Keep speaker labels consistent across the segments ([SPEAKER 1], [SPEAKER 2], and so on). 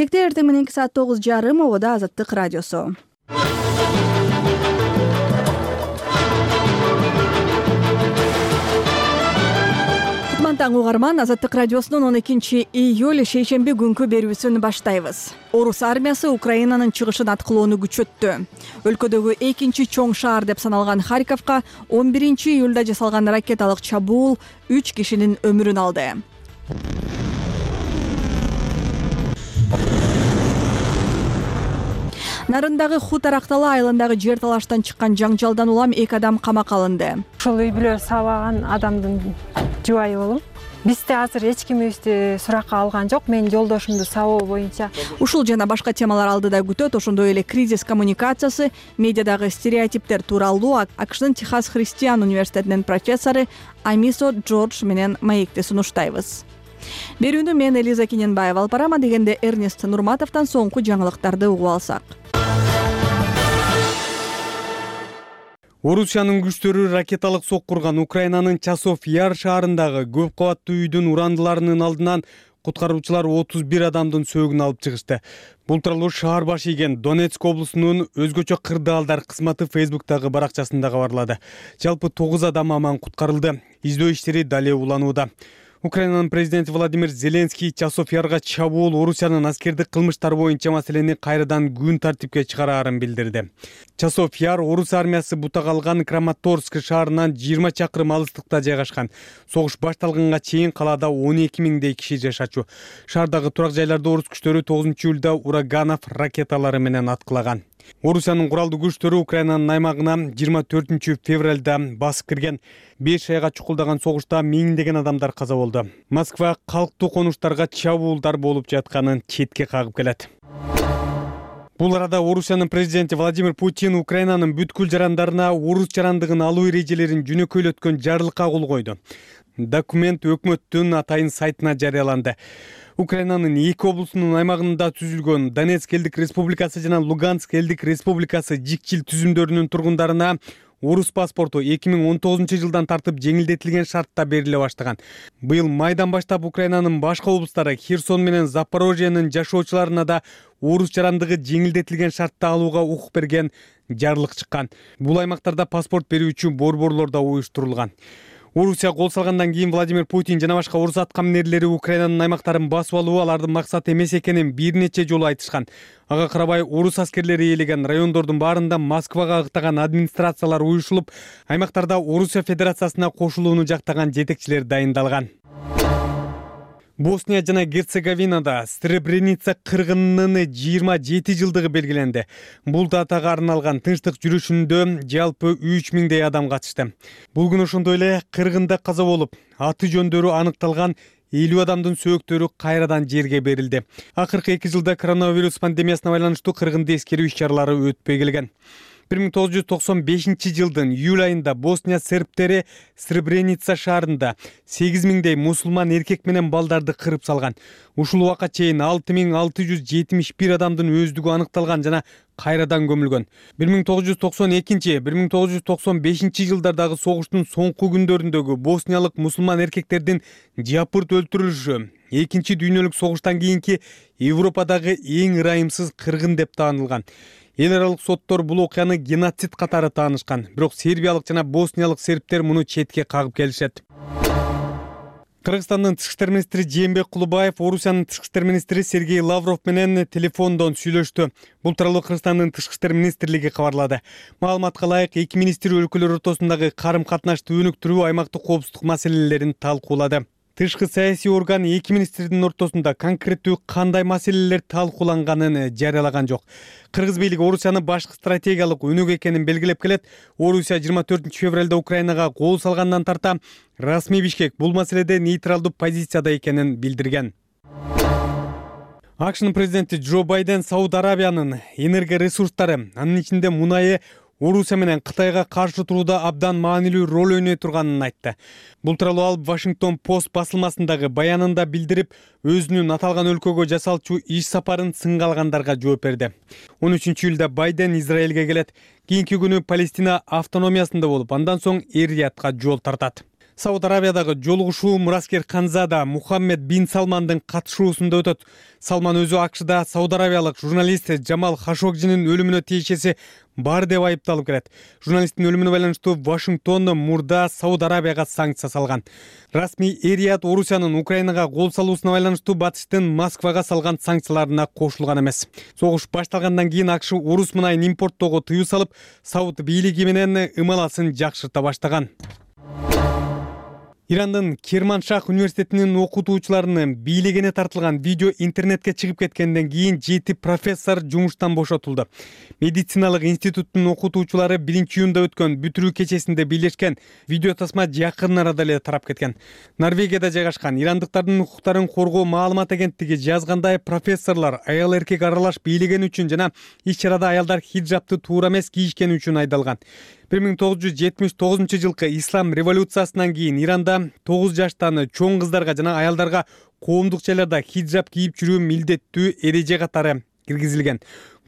[SPEAKER 1] Эртең мененки саат 9:30 обода Азаттык радиосу. Таң угарман, Азаттык радиосунун 12-июль шейшемби күнкү берүүсүн баштайбыз. Орус армиясы Украинанын чыгышын аткылоону күчөттү. Өлкөдөгү экинчи чоң шаар деп саналган Харьковго 11-июлда жасалган ракеталык чабуул 3 кишинин өмүрүн алды. Нарындагы Хутаракталы айылындагы жер талаштан чыккан жаңжалдан улам 2 адам камакка алынды.
[SPEAKER 2] Ошол үй бүлө сабаган адамдын жубайы болом. Бизде азыр эч кимибизди суракка алган жок. Мен жолдошумду сабоо боюнча.
[SPEAKER 1] Ушул жана башка темалар алдыда күтөт. Ошондой эле кризис коммуникациясы, медиадагы стереотиптер тууралуу АКШнын Техас Христиан университетинин профессору Амисо Джордж менен маекти сунуштайбыз. Берүүнү мен Элиза Кененбаева алып барам, дегенде Эрнест Нурматовдон соңку жаңылыктарды угуп алсак.
[SPEAKER 3] Орусиянын күчтөрү ракеталык соккурган Украинанын Часов-Яр шаарындагы көп кабаттуу үйдүн урандыларынын алдынан куткаруучулар 31 адамдын сөөгүн алып чыгышты. Бул тууралуу шаар башы ийген Донецк облусунун өзгөчө кырдаалдар кызматы Facebook'тагы баракчасында кабарлады. Жалпы 9 адам аман куткарылды. Издөө иштери дале уланууда. Украинанын президенти Владимир Зеленский Часов-Ярга чабуул Орусиянын аскердик кылмыштар боюнча маселени кайрадан күн тартипке чыгараарын билдирди. Часов-Яр Орус армиясы бутагалган Краматорск шаарынан 20 чакырым алыстыкта жайгашкан. Согуш башталганга чейин калаада 12 миңдей киши жашачу. Шаардагы турак жайларды орус күчтөрү 9-июлда Ураганов ракеталары менен аткылаган. Орусиянын куралдуу күчтөрү Украинанын аймагына 24 февралда басып кирген. 5 айга чукулдаган согушта миңдеген адамдар каза болду. Москва калктуу конуштарга чабуулдар болуп жатканын четке кагып келет. Бул арада Орусиянын президенти Владимир Путин Украинанын бүткүл жарандарына орус жарандыгын алуу эрежелерин жөнөкөйлөткөн жарлыкка кол койду. Документ өкмөттүн атайын сайтына жарыяланды. Украинанын 2 облусунун аймагында түзүлгөн Донецк элдик республикасы жана Луганск элдик республикасы жикчил түзүмдөрүнүн тургундарына орус паспорту 2019 жылдан тартып жеңилдетилген шартта бериле баштаган. Быйыл майдан баштап Украинанын башка облустары Херсон менен Запорожьенин жашоочуларына да орус жарандыгы жеңилдетилген шартта алууга укук берген жарлык чыккан. Бул аймактарда паспорт берүүчү борборлор да уюштурулган. Орусия кол салгандан кийин Владимир Путин жана башка орус аткаминерлери Украинанын аймактарын басып алуу алардын максаты эмес экенин бир нече жолу айтышкан. Ага карабай орус аскерлери ээлеген райондордун баарында Москвага агытаган администрациялар уюшулуп, аймактарда Орусия Федерациясына кошулууну жактаган жетекчилер дайындалган. Босния жана Герцеговинада Сребреница кыргынынын 27 жылдыгы белгиленди. Бул датага арналган тынчтык жүрүшүндө жалпы 3 миңдей адам катышты. Бул күнү ошондой эле кыргында каза болуп, аты жөндөрү аныкталган 50 адамдын сөөктөрү кайрадан жерге берилди. Акыркы 2 жылда коронавирус пандемиясына байланыштуу кыргынды эскерүү иш-чаралары өтпөй келген. 1995 жылдын июль айында Босния сербтери Сребреница шаарында 8 миңдей мусулман эркек менен балдарды кырып салган. Ушул убакка чейин 6671 адамдын өздүгү аныкталган жана кайрадан көмүлгөн. 1992-1995 жылдардагы согуштун соңку күндөрүндөгү босниялык мусулман эркектердин жапырт өлтүрүлүшү Экинчи дүйнөлүк согуштан кийинки Европадагы эң ырайымсыз кыргын деп таанылган. Эл аралык соттор бул окуяны геноцид катары таанышкан. Бирок сербиялык жана босниялык сербтер муну четке кагып келишет. Кыргызстандын тышкы иштер министри Жээнбек Кулубаев Орусиянын тышкы иштер министри Сергей Лавров менен телефондон сүйлөштү. Бул тууралуу Кыргызстандын тышкы иштер министрлиги кабарлады. Маалыматка ылайык, эки министр өлкөлөр ортосундагы карым-катнашты өнүктүрүү, аймактык коопсуздук маселелерин талкуулады. Тышкы саясий орган эки министрдин ортосунда конкреттүү кандай маселелер талкууланганын жарыялаган жок. Кыргыз бийлиги Орусияны башкы стратегиялык өнөк экенин белгилеп келет. Орусия 24 февралда Украинага кол салгандан тарта расмий Бишкек бул маселеде нейтралдуу позицияда экенин билдирген. АКШнын президенти Джо Байден Сауд Арабиянын энергоресурстары, анын ичинде мунайы Орусия менен Кытайга каршы турууда абдан маанилүү роль ойной турганын айтты. Бул тууралуу ал Вашингтон Пост басылмасындагы баянында билдирип, өзүнүн аталган өлкөгө жасалчу иш сапарын сынга алгандарга жооп берди. 13-июлда Байден Израилге келет. Кийинки күнү Палестина автономиясында болуп, андан соң Эр-Риядка жол тартат. Сауд Арабиядагы жолугушуу мураскер Ханзада Мухаммед бин Салмандын катышуусунда өтөт. Салман өзү АКШда Сауд Арабиялык журналист Джамал Хашогжинин өлүмүнө тиешеси бар деп айыпталып келет. Журналисттин өлүмүнө байланыштуу Вашингтон мурда Сауд Арабияга санкция салган. Расмий Эрият Орусиянын Украинага кол салуусуна байланыштуу батыштын Москвага салган санкцияларына кошулган эмес. Согуш башталгандан кийин АКШ орус мунайын импорттоого тыюу салып, Сауд бийлиги менен ымаласын жакшырта баштаган. Ирандын Керманшах университетинин окутуучуларынын бийлегине тартылган видео интернетке чыгып кеткенден кийин 7 профессор жумуштан бошотулду. Медициналык институттун окутуучулары 1-июнда өткөн бүтүрүү кечесинде бийлешкен видео тасма жакын арада эле тарап кеткен. Норвегияда жайгашкан ирандыктардын укуктарын коргоо маалымат агенттиги жазгандай, профессорлор аял эркек аралаш бийлегени үчүн жана иш-чарада аялдар хиджабты туура эмес кийишкени үчүн айдалган. 1979 жылкы ислам революциясынан кийин Иранда 9 жаштан чоң кыздарга жана аялдарга коомдук жайларда хиджаб кийип жүрүү милдеттүү эреже катары киргизилген.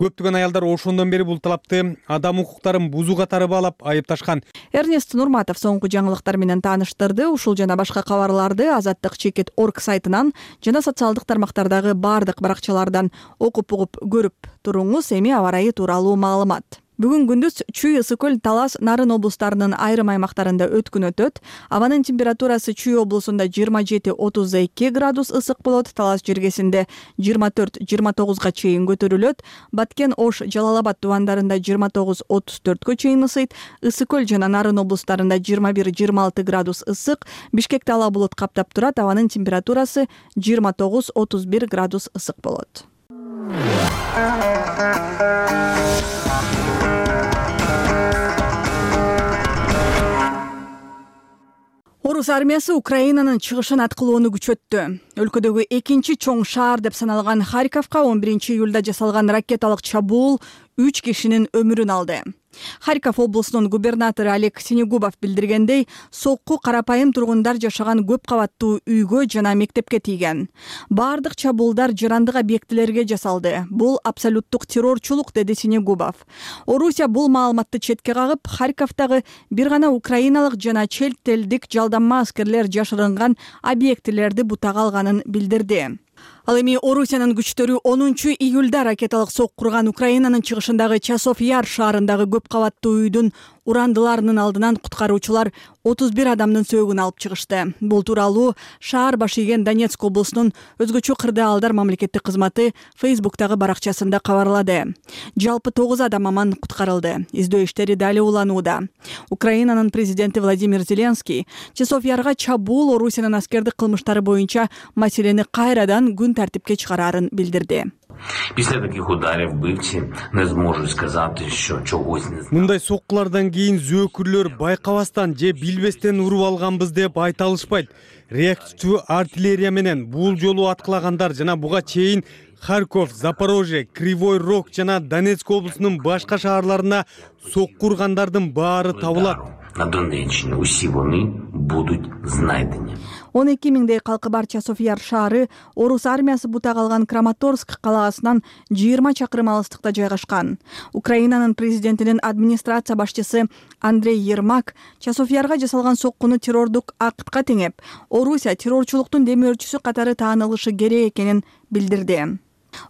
[SPEAKER 3] Көптөгөн аялдар ошондон бери бул талапты адам укуктарын бузуу катары баалап айыпташкан.
[SPEAKER 1] Эрнест Нурматов соңку жаңылыктар менен тааныштырды. Ушул жана башка кабарларды Азаттык.org сайтынан жана социалдык тармактардагы бардык баракчалардан окуп көрүп туруңуз. Эми аба ырайы тууралуу маалымат. Бүгүн күндүз Чүй, Ысык көл, Талас, Нарын облустарынын айрым аймактарында өткүн өтөт. Абанын температурасы Чүй облусунда 27-32 градус ысык болот, Талас жергесинде 24-29 чейин көтөрүлөт. Баткен, Ош, Жалал-Абад тубандарында 29-34 чейин ысыйт. Ысык көл жана Нарын облустарында 21-26 градус ысык. Бишкекте ала булут каптап турат. Абанын температурасы 29-31 градус ысык болот. Орус армиясы Украинанын чыгышын аткылоону күчөттү. Өлкөдөгү экинчи чоң шаар деп саналган Харьковго 11-июлда жасалган ракеталык чабуул 3 кишинин өмүрүн алды. Харьков облусунун губернатору Олег Синегубов билдиргендей, сокку карапайым тургундар жашаган көп кабаттуу үйгө жана мектепке тийген. Бардык чабуулдар жарандык объектилерге жасалды. Бул абсолюттук террорчулук, деди Синегубов. Орусия бул маалыматты четке кагып, Харьковдагы бир гана украиналык жана чет элдик жалданма аскерлер жашырынган объектилерди бутага алганын билдирди. Ал эми Орусиянын күчтөрү 10-июлда ракеталык сок курган Украинанын чыгышындагы Часов Яр шаарындагы көп кабаттуу үйдүн урандыларынын алдынан куткаруучулар 31 адамдын сөөгүн алып чыгышты. Бул тууралуу шаар башы ийген Донецк облусунун өзгөчө кырдаалдар мамлекеттик кызматы Facebook'тагы баракчасында кабарлады. Жалпы 9 адам аман куткарылды. Издөө иштери дали уланууда. Украинанын президенти Владимир Зеленский Часов Ярга чабуул Орусиянын аскердик кылмыштары боюнча маселени кайрадан күн тартипке чыгарарын билдирди.
[SPEAKER 4] Після таких ударів вбивці не зможуть сказати, що чогось не знали.
[SPEAKER 3] Мындай соккулардан кийин зөөкүрлөр байкабастан же билбестен уруп алганбыз деп айта алышпайт. Реактивдүү артиллерия менен бул жолу аткылагандар жана буга чейин Харьков, Запорожье, Кривой Рог жана Донецк облусунун башка шаарларына сокку ургандардын баары табылат.
[SPEAKER 4] На Донеччині усі вони будуть знайдені.
[SPEAKER 1] 12 миңдей калкы бар Часов Яр шаары орус армиясы бутак алган Краматорск калаасынан 20 чакырым алыстыкта жайгашкан. Украинанын президентинин администрация башчысы Андрей Ермак Часов Ярга жасалган соккуну террордук актка теңеп, Орусия террорчулуктун демөөрчүсү катары таанылышы керек экенин билдирди.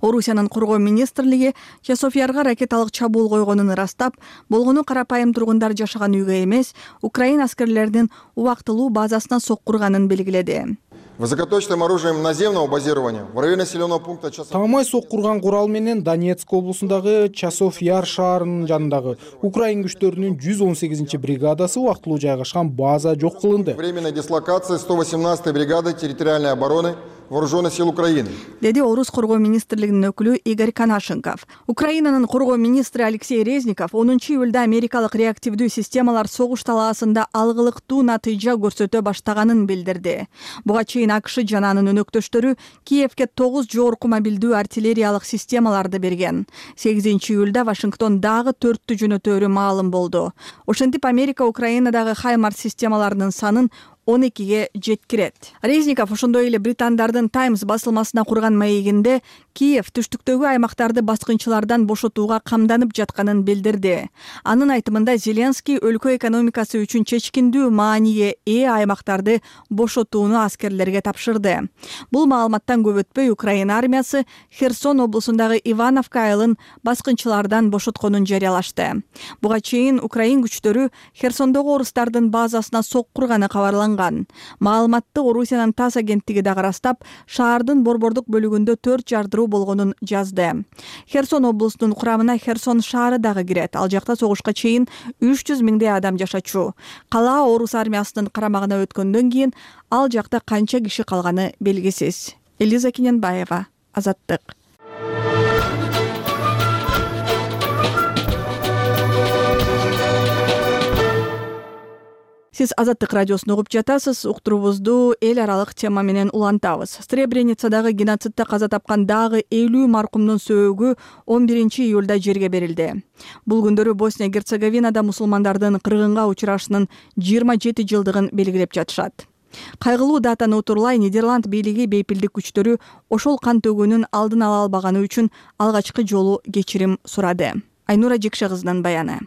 [SPEAKER 1] Орусиянын коргоо министрлиги Часов Ярга ракеталык чабуул койгонун ырастап, болгону карапайым тургундар жашаган үйгө эмес, Украина аскерлеринин убактылуу базасына соккурганын белгиледи.
[SPEAKER 5] Высокоточным оружием наземного базирования в районе населенного пункта Часов.
[SPEAKER 6] Таамай соккурган курал менен Донецк облусундагы Часов Яр шаарынын жанындагы Украин күчтөрүнүн 118 бригадасы убактылуу жайгашкан база жок кылынды.
[SPEAKER 5] Временная дислокация 118-й бригады территориальной обороны Вооруженных сил Украины.
[SPEAKER 1] Деди Орус коргоо министрлигинин өкүлү Игорь Канашенков. Украинанын коргоо министри Алексей Резников 10-июлда америкалык реактивдүү системалар согуш талаасында алгылыктуу натыйжа көрсөтө баштаганын билдирди. Буга чейин АКШ жана анын өнөктөштөрү Киевке 9 жогорку мобилдүү артиллериялык системаларды берген. 8-июлда Вашингтон дагы 4-тү жөнөтөөрү маалым болду. Ошентип Америка Украинадагы Хаймарс системаларынын санын 12ге жеткирет. Резников ошондой эле британдардын Times басылмасына курган маегинде Киев түштүктөгү аймактарды баскынчылардан бошотууга камданып жатканын билдирди. Анын айтымында Зеленский өлкө экономикасы үчүн чечкиндүү мааниге ээ аймактарды бошотууну аскерлерге тапшырды. Бул маалыматтан көп өтпөй Украина армиясы Херсон облусундагы Ивановка айылын баскынчылардан бошотконун жарыялашты. Буга чейин Украин күчтөрү Херсондогу орустардын базасына соккурганы кабарланган. Маалыматты Орусиянын ТАСС агенттиги дагы ырастап, шаардын борбордук бөлүгүндө 4 жардыруу болгонун жазды. Херсон облусунун курамына Херсон шаары дагы кирет. Ал жакта согушка чейин 300 миңдей адам жашачу. Кала орус армиясынын карамагына өткөндөн кийин ал жакта канча киши калганы белгисиз. Элиза Кененбаева, Азаттык. Сиз Азаттык радиосун угуп жатасыз. Уктуруубузду эл аралык тема менен улантабыз. Сребреницадагы геноцидте каза тапкан дагы 50 маркумдун сөөгү 11-июлда жерге берилди. Бул күндөрү Босния-Герцеговинада мусулмандардын кыргынга учурашынын 27 жылдыгын белгилеп жатышат. Кайгылуу датаны утурлай Нидерланд бийлиги бейпилдик күчтөрү ошол кан төгүүнүн алдын ала албаганы үчүн алгачкы жолу кечирим сурады. Айнура Жекше кызынын баяны.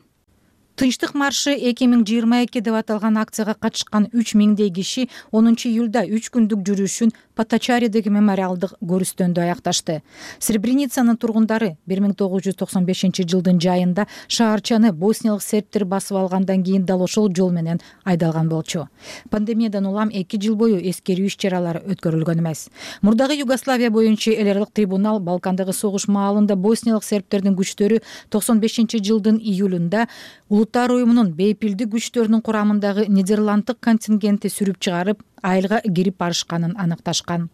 [SPEAKER 7] Тынчтык маршы 2022 деп аталган акцияга катышкан 3000дей киши 10-июлда 3 күндүк жүрүшүн Поточаридеги мемориалдык көрүстөндө аякташты. Сребреницанын тургундары 1995 жылдын жайында шаарчаны босниялык сербтер басып алгандан кийин дал ошол жол менен айдалган болчу. Пандемиядан улам 2 жыл бою эскерүү иш-чаралары өткөрүлгөн эмес. Мурдагы Югославия боюнча эл аралык трибунал Балкандагы согуш маалында босниялык сербтердин күчтөрү 95 жылдын июлунда Улуттар уюмунун бейпилдик күчтөрүнүн курамындагы Нидерланддык контингентти сүрүп чыгарып, айылга кирип барышканын аныкташкан.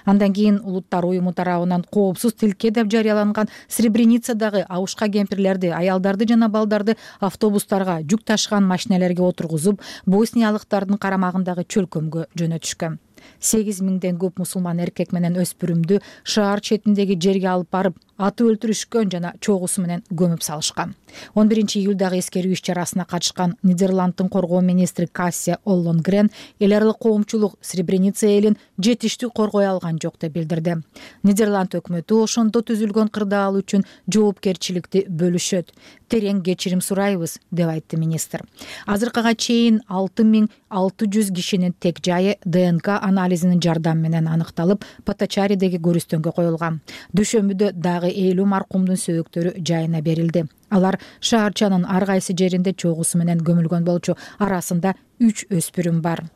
[SPEAKER 7] Андан кийин Улуттар уюму тарабынан коопсуз тилке деп жарыяланган Сребреницадагы абушка кемпирлерди, аялдарды жана балдарды автобустарга, жүк ташыган машинелерге отургузуп, босниялыктардын карамагындагы чөлкөмгө жөнөтүшкөн. 8000ден көп мусулман эркек менен өспүрүмдү шаар четиндеги жерге алып барып, атып өлтүрүшкөн жана чогусу менен көмүп салышкан. 11-июлдагы эскерүү иш-чарасына катышкан Нидерланддын коргоо министри Кассия Оллонгрен эл аралык коомчулук Сребреница элин жетиштүү коргой алган жок деп билдирди. Нидерланд өкмөтү ошондо түзүлгөн кырдаал үчүн жоопкерчиликти бөлүшөт. Терең кечирим сурайбыз, деп айтты министр. Азыркыга чейин 6600 кишинин тек жайы ДНК анализинин жардамы менен аныкталып, Поточаридеги көрүстөнгө коюлган. Дүйшөмбүдө дагы 50 маркумдун сөөктөрү жайына берилди. Алар шаарчанын ар кайсы жеринде чогусу менен көмүлгөн болчу. Арасында 3 өспүрүм бар.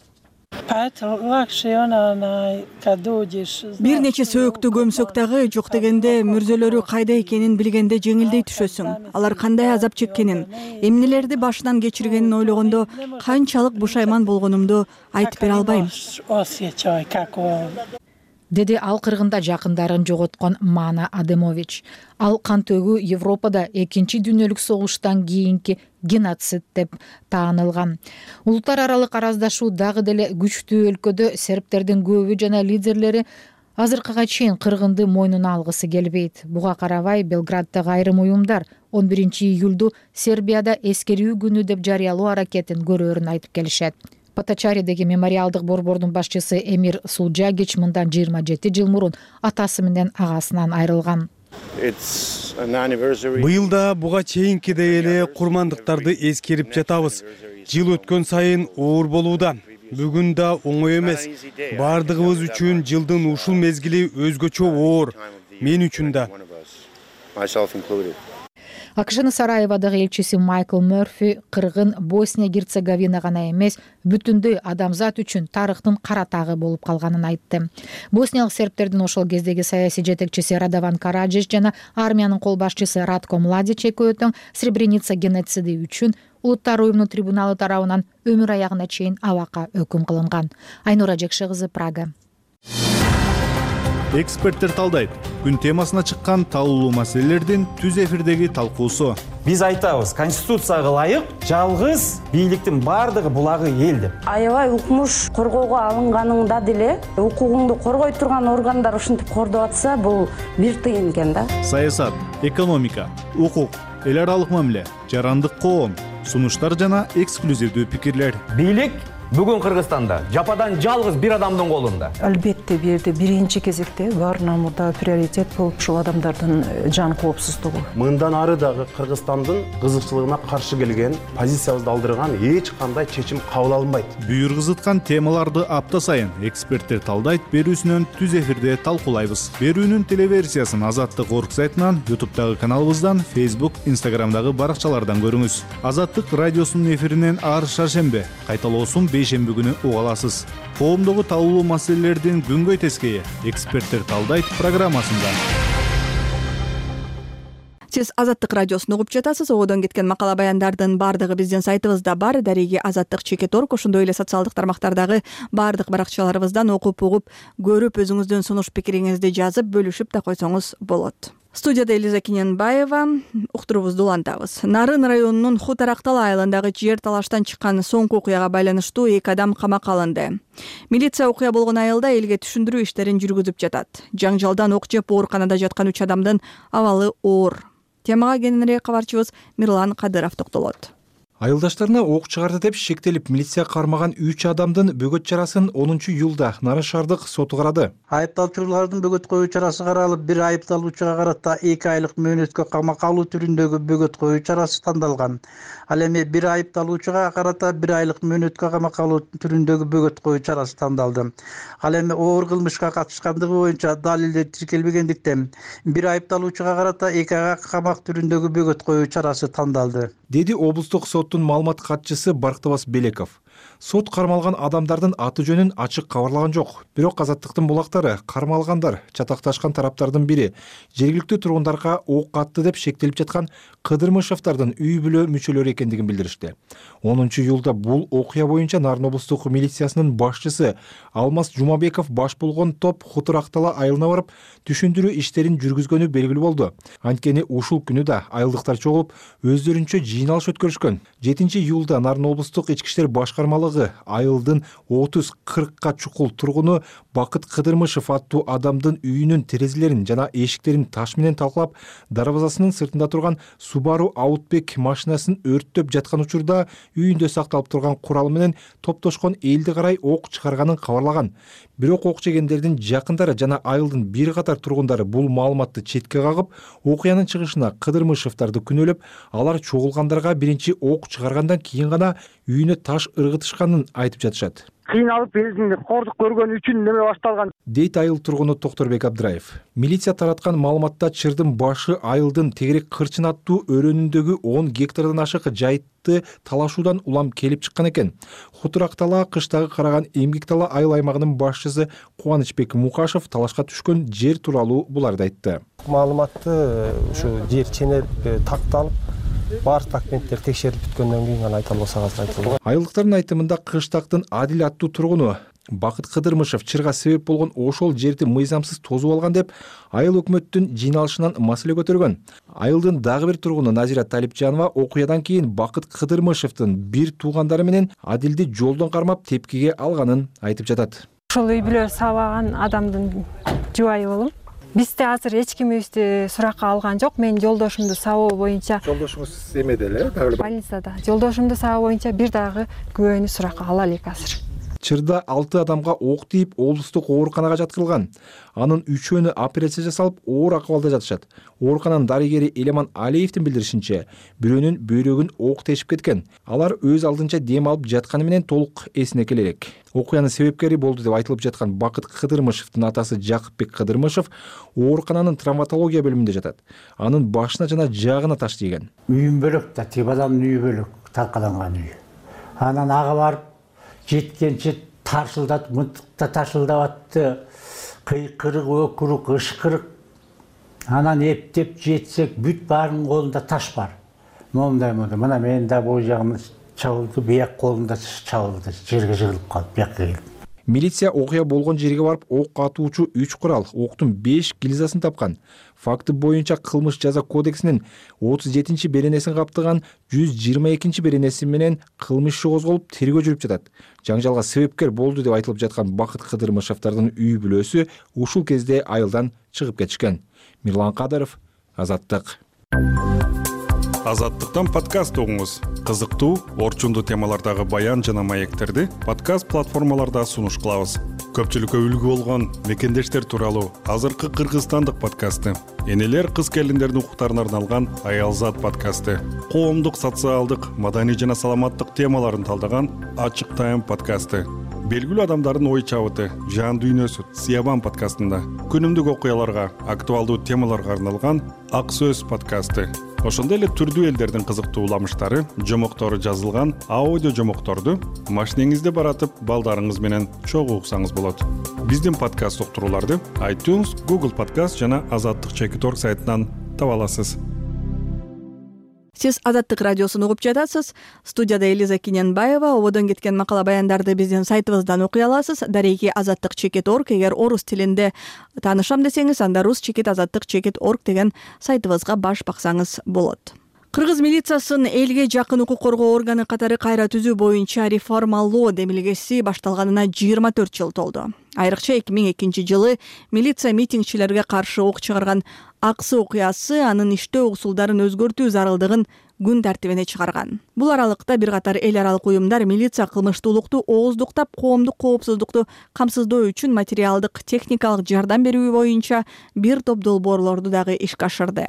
[SPEAKER 1] Бир нече сөөктү көмсөк дагы жок дегенде мүрзөлөрү кайда экенин билгенде жеңилдей түшөсүң. Алар кандай азап чеккенин, эмнелерди башынан кечиргенин ойлогондо канчалык бушайман болгонумду айтып бере албайм,
[SPEAKER 7] деди ал кыргында жакындарын жоготкон Мана Адемович. Ал кан төгүү Европада 2 дүйнөлүк согуштан кийинки геноцид деп таанылган. Улуттар аралык араздашуу дагы деле күчтүү өлкөдө сербтердин көбү жана лидерлери азыркыга чейин кыргынды мойнуна алгысы келбейт. Буга карабай Белграддагы айрым уюмдар 11-июлду Сербияда эскерүү күнү деп жарыялоо аракетин көрөөрүн айтып келишет. Поточаридеги мемориалдык борбордун башчысы Эмир Сулджагич мындан 27 жыл мурун атасы менен агасынан айрылган.
[SPEAKER 3] Быйыл да буга чейинкидей эле курмандыктарды эскерип жатабыз. Жыл өткөн сайын оор болууда. Бүгүн да оңой эмес. Бардыгыбыз үчүн жылдын ушул мезгили өзгөчө оор. Мен үчүн да.
[SPEAKER 7] АКШнын Сараеводагы элчиси Майкл Мёрфи кыргын Босния-Герцеговина гана эмес, бүтүндөй адамзат үчүн тарыхтын кара тагы болуп калганын айтты. Босниялык сербтердин ошол кездеги саясий жетекчиси Радован Караджич жана армиянын кол башчысы Ратко Младич экөө тең Сребреница геноциди үчүн Улуттар уюмунун трибуналы тарабынан өмүр аягына чейин абакка өкүм кылынган. Айнура Жекше кызы, Прага.
[SPEAKER 8] Эксперттер талдайт. Күн темасына чыккан талуулуу маселелердин түз эфирдеги талкуусу.
[SPEAKER 9] Биз айтабыз, конституцияга ылайык жалгыз бийликтин бардыгы булагы эл деп.
[SPEAKER 10] Аябай укмуш коргоого алынганыңда деле укугуңду коргой турган органдар ушинтип кордоп атса, бул бир тыйын экен да.
[SPEAKER 8] Саясат, экономика, укук, эл аралык мамиле, жарандык коом, сунуштар жана эксклюзивдүү пикирлер.
[SPEAKER 9] Бийлик
[SPEAKER 11] Бүгүн Кыргызстанда жападан жалгыз бир адамдын колунда.
[SPEAKER 12] Албетте бул жерде биринчи кезекте баарынан мурда приоритет болуп ушул адамдардын жан коопсуздугу.
[SPEAKER 13] Мындан ары дагы Кыргызстандын кызыкчылыгына каршы келген, позициябызды алдырган эч кандай чечим кабыл алынбайт.
[SPEAKER 8] Бүйүргүзыткан темаларды апта сайын эксперттер талдайт берүүсүнөн түз эфирде талкуулайбыз. Берүүнүн телеверсиясын Азаттык орг сайтынан, YouTube'дагы каналыбыздан, Facebook, Instagram'дагы баракчалардан көрүңүз. Азаттык радиосунун эфиринен ар шаршембе, кайталоосун бейшемби күнү уга аласыз. Коомдогу талкуулуу маселелердин күнгөй тескейи эксперттер талдайт программасында.
[SPEAKER 1] Сиз Азаттык радиосун угуп жатасыз. Одон кеткен макала баяндардын баардыгы биздин сайтыбызда бар. Дареги Азаттык.org, ошондой эле социалдык тармактардагы баардык баракчаларыбыздан окуп, угуп, көрүп, өзүңүздүн сунуш пикириңизди жазып, бөлүшүп да койсоңуз болот. Студияда Элиза Кененбаева, уктуруубузду улантабыз. Нарын районунун Хутарактал айылындагы жер талаштан чыккан соңку окуяга байланыштуу 2 адам камакка алынды. Милиция окуя болгон айылда элге түшүндүрүү иштерин жүргүзүп жатат. Жаңжалдан ок жеп ооруканада жаткан 3 адамдын абалы оор. Темага кененирээк кабарчыбыз Мирлан Кадыров токтолот.
[SPEAKER 14] Айылдаштарына ок чыгарды деп шектелип милиция кармаган 3 адамдын бөгөт чарасын 10-июлда Нарын шаардык соту карады.
[SPEAKER 15] Айыпталуучулардын бөгөт коюу чарасы каралып, бир айыпталуучуга карата 2 айлык мөөнөткө камакка алуу түрүндөгү бөгөт коюу чарасы тандалган. Ал эми бир айыпталуучуга карата 1 айлык мөөнөткө камакка алуу түрүндөгү бөгөт коюу чарасы тандалды. Ал эми оор кылмышка катышкандыгы боюнча далилдер тиркелбегендиктен бир айыпталуучуга карата 2 айга камак түрүндөгү бөгөт коюу чарасы тандалды,
[SPEAKER 14] деди облустук соттун маалымат катчысы Барктыбас Белеков. Сот кармалган адамдардын аты жөнүн ачык кабарлаган жок. Бирок Азаттыктын булактары кармалгандар чатакташкан тараптардын бири жергиликтүү тургундарга ок атты деп шектелип жаткан Кыдырмышевдардын үй бүлө мүчөлөрү экендигин билдиришти. 10-июлда бул окуя боюнча Нарын облустук милициясынын башчысы Алмаз Жумабеков баш болгон топ Хутарактала айылына барып, түшүндүрүү иштерин жүргүзгөнү белгилүү болду. Анткени ушул күнү да айылдыктар чогулуп, өздөрүнчө жыйналыш өткөрүшкөн. 7-июлда Нарын облустук ички иштер башкармалыгы айылдын 30-40ка чукул тургуну Бакыт Кыдырмышев аттуу адамдын үйүнүн терезелерин жана эшиктерин таш менен талкалап, дарбазасынын сыртында турган Subaru Outback машинасын өрттөп жаткан учурда үйүндө сакталып турган куралы менен топтошкон элди карай ок чыгарганын кабарлаган. Бирок ок жегендердин жакындары жана айылдын бир катар тургундары бул маалыматты четке кагып, окуянын чыгышына Кыдырмышевдарды күнөөлөп, алар чогулгандарга биринчи ок чыгаргандан кийин гана үйүнө таш ыргытышканын айтып жатышат.
[SPEAKER 16] Кыйналып элдин кордук көргөн үчүн неме башталган,
[SPEAKER 14] дейт айыл тургуну Токторбек Абдыраев. Милиция тараткан маалыматта чырдын башы айылдын тегерек кырчын аттуу өрөөнүндөгү 10 гектардан ашык жайтты талашуудан улам келип чыккан экен. Хутарактала кыштагы караган Эмгектала айыл аймагынын башчысы Кубанычбек Мукашев талашка түшкөн жер тууралуу буларды айтты.
[SPEAKER 9] Маалыматты ушу жер ченер такталып, баардык документтер текшерип бүткөндөн кийин гана айта албасак азыр айтылат.
[SPEAKER 14] Айылдыктардын айтымында Кыштактын Адил аттуу тургуну Бакыт Кыдырмышев чырга себеп болгон ошол жерди мыйзамсыз тозуп алган деп айыл өкмөттүн жыйналышынан маселе көтөргөн. Айылдын дагы бир тургуну Назира Талипжанова окуядан кийин Бакыт Кыдырмышевдин бир туугандары менен Адилди жолдон кармап тепкиге алганын айтып жатат.
[SPEAKER 2] Ошол үй бүлө сабаган адамдын жубайы болом. Бизде азыр эч кимибизди суракка алган жок. Мен жолдошумду сабоо боюнча.
[SPEAKER 14] Жолдошуңуз эмеде эле?
[SPEAKER 2] Больницада. Жолдошумду сабоо боюнча бир дагы күбөнү суракка ала элек азыр.
[SPEAKER 14] Чырда 6 адамга ок тийип, облустук ооруканага жаткырылган. Анын 3-өөнү операция жасалып, оор акыбалда жатышат. Оорукананын дарыгери Элеман Алиевдин билдиришинче, бирөөнүн бөйрөгүн ок тешип кеткен. Алар өз алдынча дем алып жатканы менен толук эсине келе элек. Окуянын себепкери болду деп айтылып жаткан Бакыт Кыдырмышевдин атасы Жакыпбек Кыдырмышев оорукананын травматология бөлүмүндө жатат. Анын башына жана жаагына таш тийген.
[SPEAKER 17] Үйүм бөлөк да, тип адамдын үйү бөлөк, талкаланган үй. Анан ага барып жеткенче таршылдатып, мынтыкта таршылдап атты. Кыйкырык, өкүрүк, ышкырык. Анан эптеп жетсек, бүт баарынын колунда таш бар. Момундай. Мына менин да бул жагым чабылды, бияк колумда чабылды. Жерге жыгылып калып, бияка келип.
[SPEAKER 14] Милиция окуя болгон жерге барып, ок атуучу 3 курал, октун 5 гильзасын тапкан. Факты боюнча кылмыш жаза кодексинин 37-чи беренесин каптаган 122-чи беренеси менен кылмыш иши козголуп, тергөө жүрүп жатат. Жаңжалга себепкер болду деп айтылып жаткан Бакыт Кыдырмышевдардын үй бүлөсү ушул кезде айылдан чыгып кетишкен. Мирлан Кадыров, Азаттык.
[SPEAKER 18] Азаттыктан подкаст угуңуз. Кызыктуу, орчундуу темалардагы баян жана маектерди подкаст платформаларда сунуш кылабыз. Көпчүлүккө үлгү болгон мекендештер тууралуу азыркы кыргызстандык подкасты, энелер кыз келиндердин укуктарына арналган Аялзат подкасты, коомдук, социалдык, маданий жана саламаттык темаларын талдаган Ачык Тайм подкасты, белгилүү адамдардын ой чабыты, жан дүйнөсү Сиябан подкастында, күнүмдүк окуяларга, актуалдуу темаларга арналган Ак Сөз подкасты, ошондой эле түрдүү элдердин кызыктуу уламыштары, жомоктору жазылган аудио жомокторду машинеңизде баратып, балдарыңыз менен чогуу уксаңыз болот. Биздин подкаст уктурууларды iTunes, Google Podcast жана azаттык.org сайтынан таба аласыз.
[SPEAKER 1] Сиз Азаттык радиосун угуп жатасыз. Студияда Элиза Киненбаева. Ободон кеткен макала баяндарды биздин сайтыбыздан окуй аласыз. Дареги azаттык.org. Эгер орус тилинде таанышам десеңиз, анда rus.azаттык.org деген сайтыбызга баш баксаңыз болот. Кыргыз милициясын элге жакын укук коргоо органы катары кайра түзүү боюнча реформалоо демилгеси башталганына 24 жыл толду. Айрыкча 2002 милиция митингчилерге каршы ок чыгарган Аксы окуясы анын иштөө усулдарын өзгөртүү зарылдыгын күн тартибине чыгарган. Бул аралыкта бир катар эл аралык уюмдар милиция кылмыштуулукту ооздуктап, коомдук коопсуздукту камсыздоо үчүн материалдык, техникалык жардам берүү боюнча бир топ долбоорлорду дагы ишке ашырды.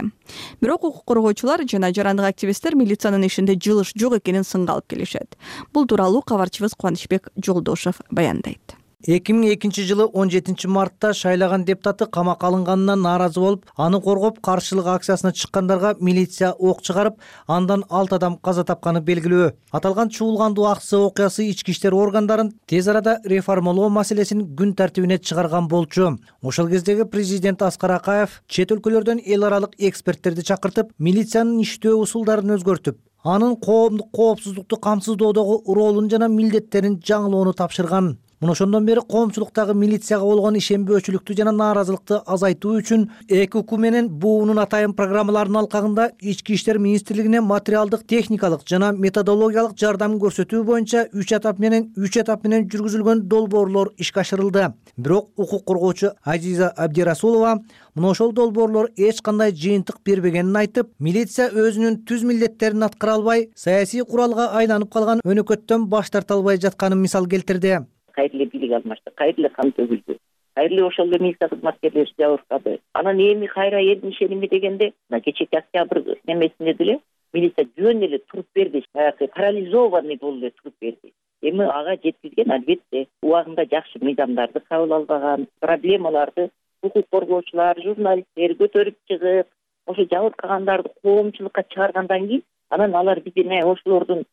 [SPEAKER 1] Бирок укук коргоочулар жана жарандык активисттер милициянын ишинде жылыш жок экенин сынга алып келишет. Бул тууралуу кабарчыбыз Кубанычбек Жолдошов баяндайт.
[SPEAKER 19] 2002 17 мартта шайлаган депутаты камакка алынганына нааразы болуп, аны коргоп каршылык акциясына чыккандарга милиция ок чыгарып, андан 6 адам каза тапканы белгилүү. Аталган чуулгандуу акция окуясы ички иштер органдарын тез арада реформалоо маселесин күн тартибине чыгарган болчу. Ошол кездеги президент Аскар Акаев чет өлкөлөрдөн эл аралык эксперттерди чакыртып, милициянын иштөө усулдарын өзгөртүп, анын коомдук коопсуздукту камсыздоодогу ролун жана милдеттерин жаңылоону тапшырган. Мына ошондон бери коомчулуктагы милицияга болгон ишенбөөчүлүктү жана нааразылыкты азайтуу үчүн ЭКУ менен буунун атайын программаларынын алкагында Ички иштер министрлигине материалдык, техникалык жана методологиялык жардам көрсөтүү боюнча 3 этап менен жүргүзүлгөн долбоорлор ишке ашырылды. Бирок укук коргоочу Азиза Абдирасулова мына ошол долбоорлор эч кандай жыйынтык бербегенин айтып, милиция өзүнүн түз милдеттерин аткара албай, саясий куралга айланып калган өнөкөттөн баш тарта албай жатканын мисал келтирди.
[SPEAKER 20] Кайрылы бийлик алмашты, кайрылы кан төгүлдү. Кайрылы ошол эле милиция кызматкерлери жабыркады. Анан эми кайра элдин ишеними дегенде, кечээки октябрь немесинде деле милиция жөн эле туруп берди, парализованный болуп эле туруп берди. Эми ага жеткизген албетте убагында жакшы мыйзамдарды кабыл албаган, проблемаларды укук коргоочулар, журналисттер көтөрүп чыгып, ошо жабыркагандарды коомчулукка чыгаргандан кийин, анан алар бизге ошолордун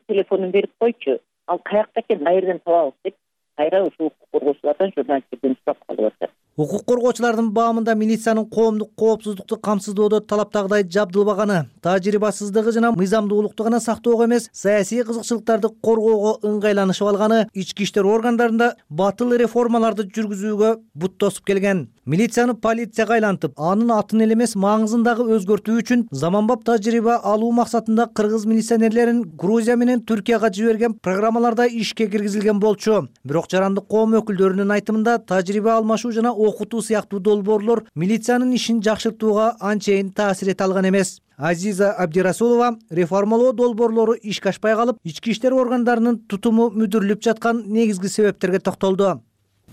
[SPEAKER 20] телефонун берип койчу. Ал каякта экен, кайерден табабыз деп, кайра ушул укук коргоочулардан, журналисттерден сурап калып атат.
[SPEAKER 19] Укук коргоочулардын баамында милициянын коомдук коопсуздукту камсыздоодо талаптагыдай жабдылбаганы, тажрыйбасыздыгы жана мыйзамдуулукту гана сактоого эмес, саясий кызыкчылыктарды коргоого ыңгайланышып алганы ички иштер органдарында батыл реформаларды жүргүзүүгө бут тосуп келген. Милицияны полицияга айлантып, анын атын эле эмес маңызын дагы өзгөртүү үчүн заманбап тажрыйба алуу максатында кыргыз милиционерлерин Грузия менен Түркияга жиберген программаларда ишке киргизилген болчу. Бирок жарандык коом өкүлдөрүнүн айтымында тажрыйба алмашуу жана окутуу сыяктуу долбоорлор милициянын ишин жакшыртууга анчейин таасир эте алган эмес. Азиза Абдирасулова реформалоо долбоорлору ишке ашпай калып, ички иштер органдарынын тутуму мүдүрүлүп жаткан негизги себептерге токтолду.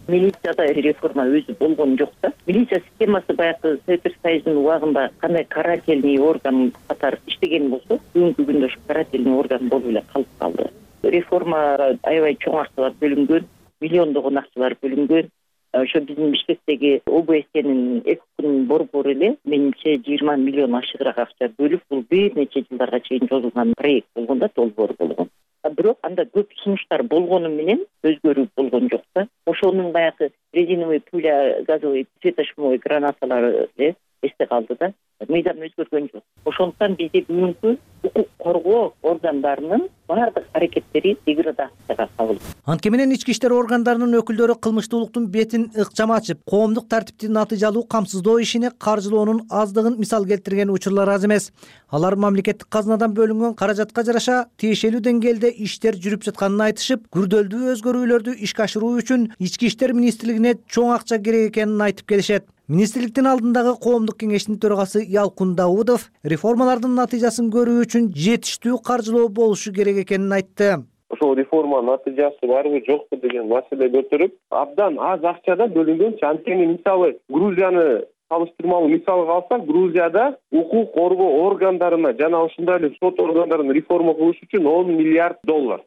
[SPEAKER 20] Милицияда реформа өзү болгон жок да. Милиция системасы баягы Совет Союзунун убагында кандай карательный орган катары иштеген болсо, бүгүнкү күндө ушу карательный орган болуп эле калып калды. Реформа аябай чоң акчалар бөлүнгөн, миллиондогон акчалар бөлүнгөн. Ошо биздин Бишкектеги ОБСнин ЭКУнун борбору эле менимче 20 миллион ашыгыраак акча бөлүп, бул бир нече жылдарга чейин созулган проект болгон да, долбоор болгон. Бирок анда көп сунуштар болгону менен өзгөрүү болгон жок да. Ошонун баягы резиновый пуля, газовый светошумовой гранаталары эсте калды да. Мыйзам өзгөргөн жок. Ошондуктан бизде бүгүнкү укук коргоо органдарынын баардык аракеттери деградацияга кабыл.
[SPEAKER 19] Анткени менен ички иштер органдарынын өкүлдөрү кылмыштуулуктун бетин ыкчам ачып, коомдук тартипти натыйжалуу камсыздоо ишине каржылоонун аздыгын мисал келтирген учурлар аз эмес. Алар мамлекеттик казынадан бөлүнгөн каражатка жараша тиешелүү деңгээлде иштер жүрүп жатканын айтышып, күрдөлдүү өзгөрүүлөрдү ишке ашыруу үчүн ички иштер министрлигине чоң акча керек экенин айтып келишет. Министрликтин алдындагы коомдук кеңештин төрагасы Ялкун Даудов реформалардын натыйжасын көрүү үчүн жетиштүү каржылоо болушу керек экенин айтты.
[SPEAKER 21] Ошол реформанын натыйжасы барбы жокпу деген маселе көтөрүп, абдан аз акчада бөлүнгөн. Анткени мисалы Грузияны салыштырмалуу мисалга алсак, Грузияда укук коргоо органдарына жана ошондой эле сот органдарын реформа кылыш үчүн $10 миллиард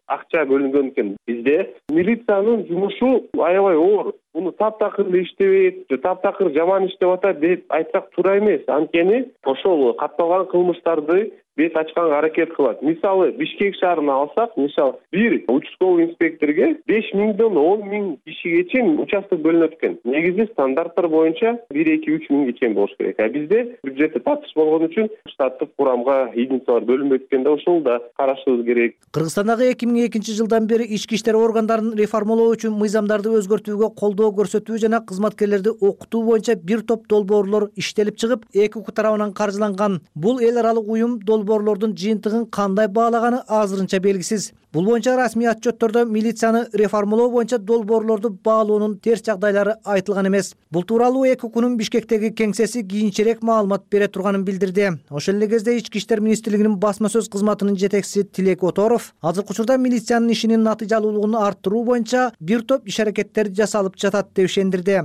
[SPEAKER 21] акча бөлүнгөн экен. Бизде милициянын жумушу аябай оор. Муну таптакыр иштебейт, таптакыр жаман иштеп атат деп айтсак туура эмес. Анткени ошол катталган кылмыштарды бет ачканга аракет кылат. Мисалы Бишкек шаарына алсак, мисалы бир участковый инспекторге 5 миңден 10 миң кишиге чейин участок бөлүнөт экен. Негизи стандарттар боюнча 1-2-3 миңге чейин болуш керек. Бизде бюджетте татыш болгон үчүн штаттык курамга единицалар бөлүнбөйт экен да, ошол да карашыбыз керек.
[SPEAKER 19] Кыргызстандагы 2002 жылдан бери ички иштер органдарын реформалоо үчүн мыйзамдарды өзгөртүүгө колдоо көрсөтүү жана кызматкерлерди окутуу боюнча бир топ долбоорлор иштелип чыгып, эки укук тарабынан каржыланган. Бул эл аралык уюм долбоорлордун жыйынтыгын кандай баалаганы азырынча белгисиз. Бул боюнча расмий отчеттордо милицияны реформалоо боюнча долбоорлорду баалоонун терс жагдайлары айтылган эмес. Бул тууралуу эки укунун Бишкектеги кеңсеси кийинчерээк маалымат бере турганын билдирди. Ошол эле кезде Ички иштер министрлигинин басма сөз кызматынын жетекчиси Тилек Оторов азыркы учурда милициянын ишинин натыйжалуулугун арттыруу боюнча бир топ иш-аракеттер жасалып жатат деп ишендирди.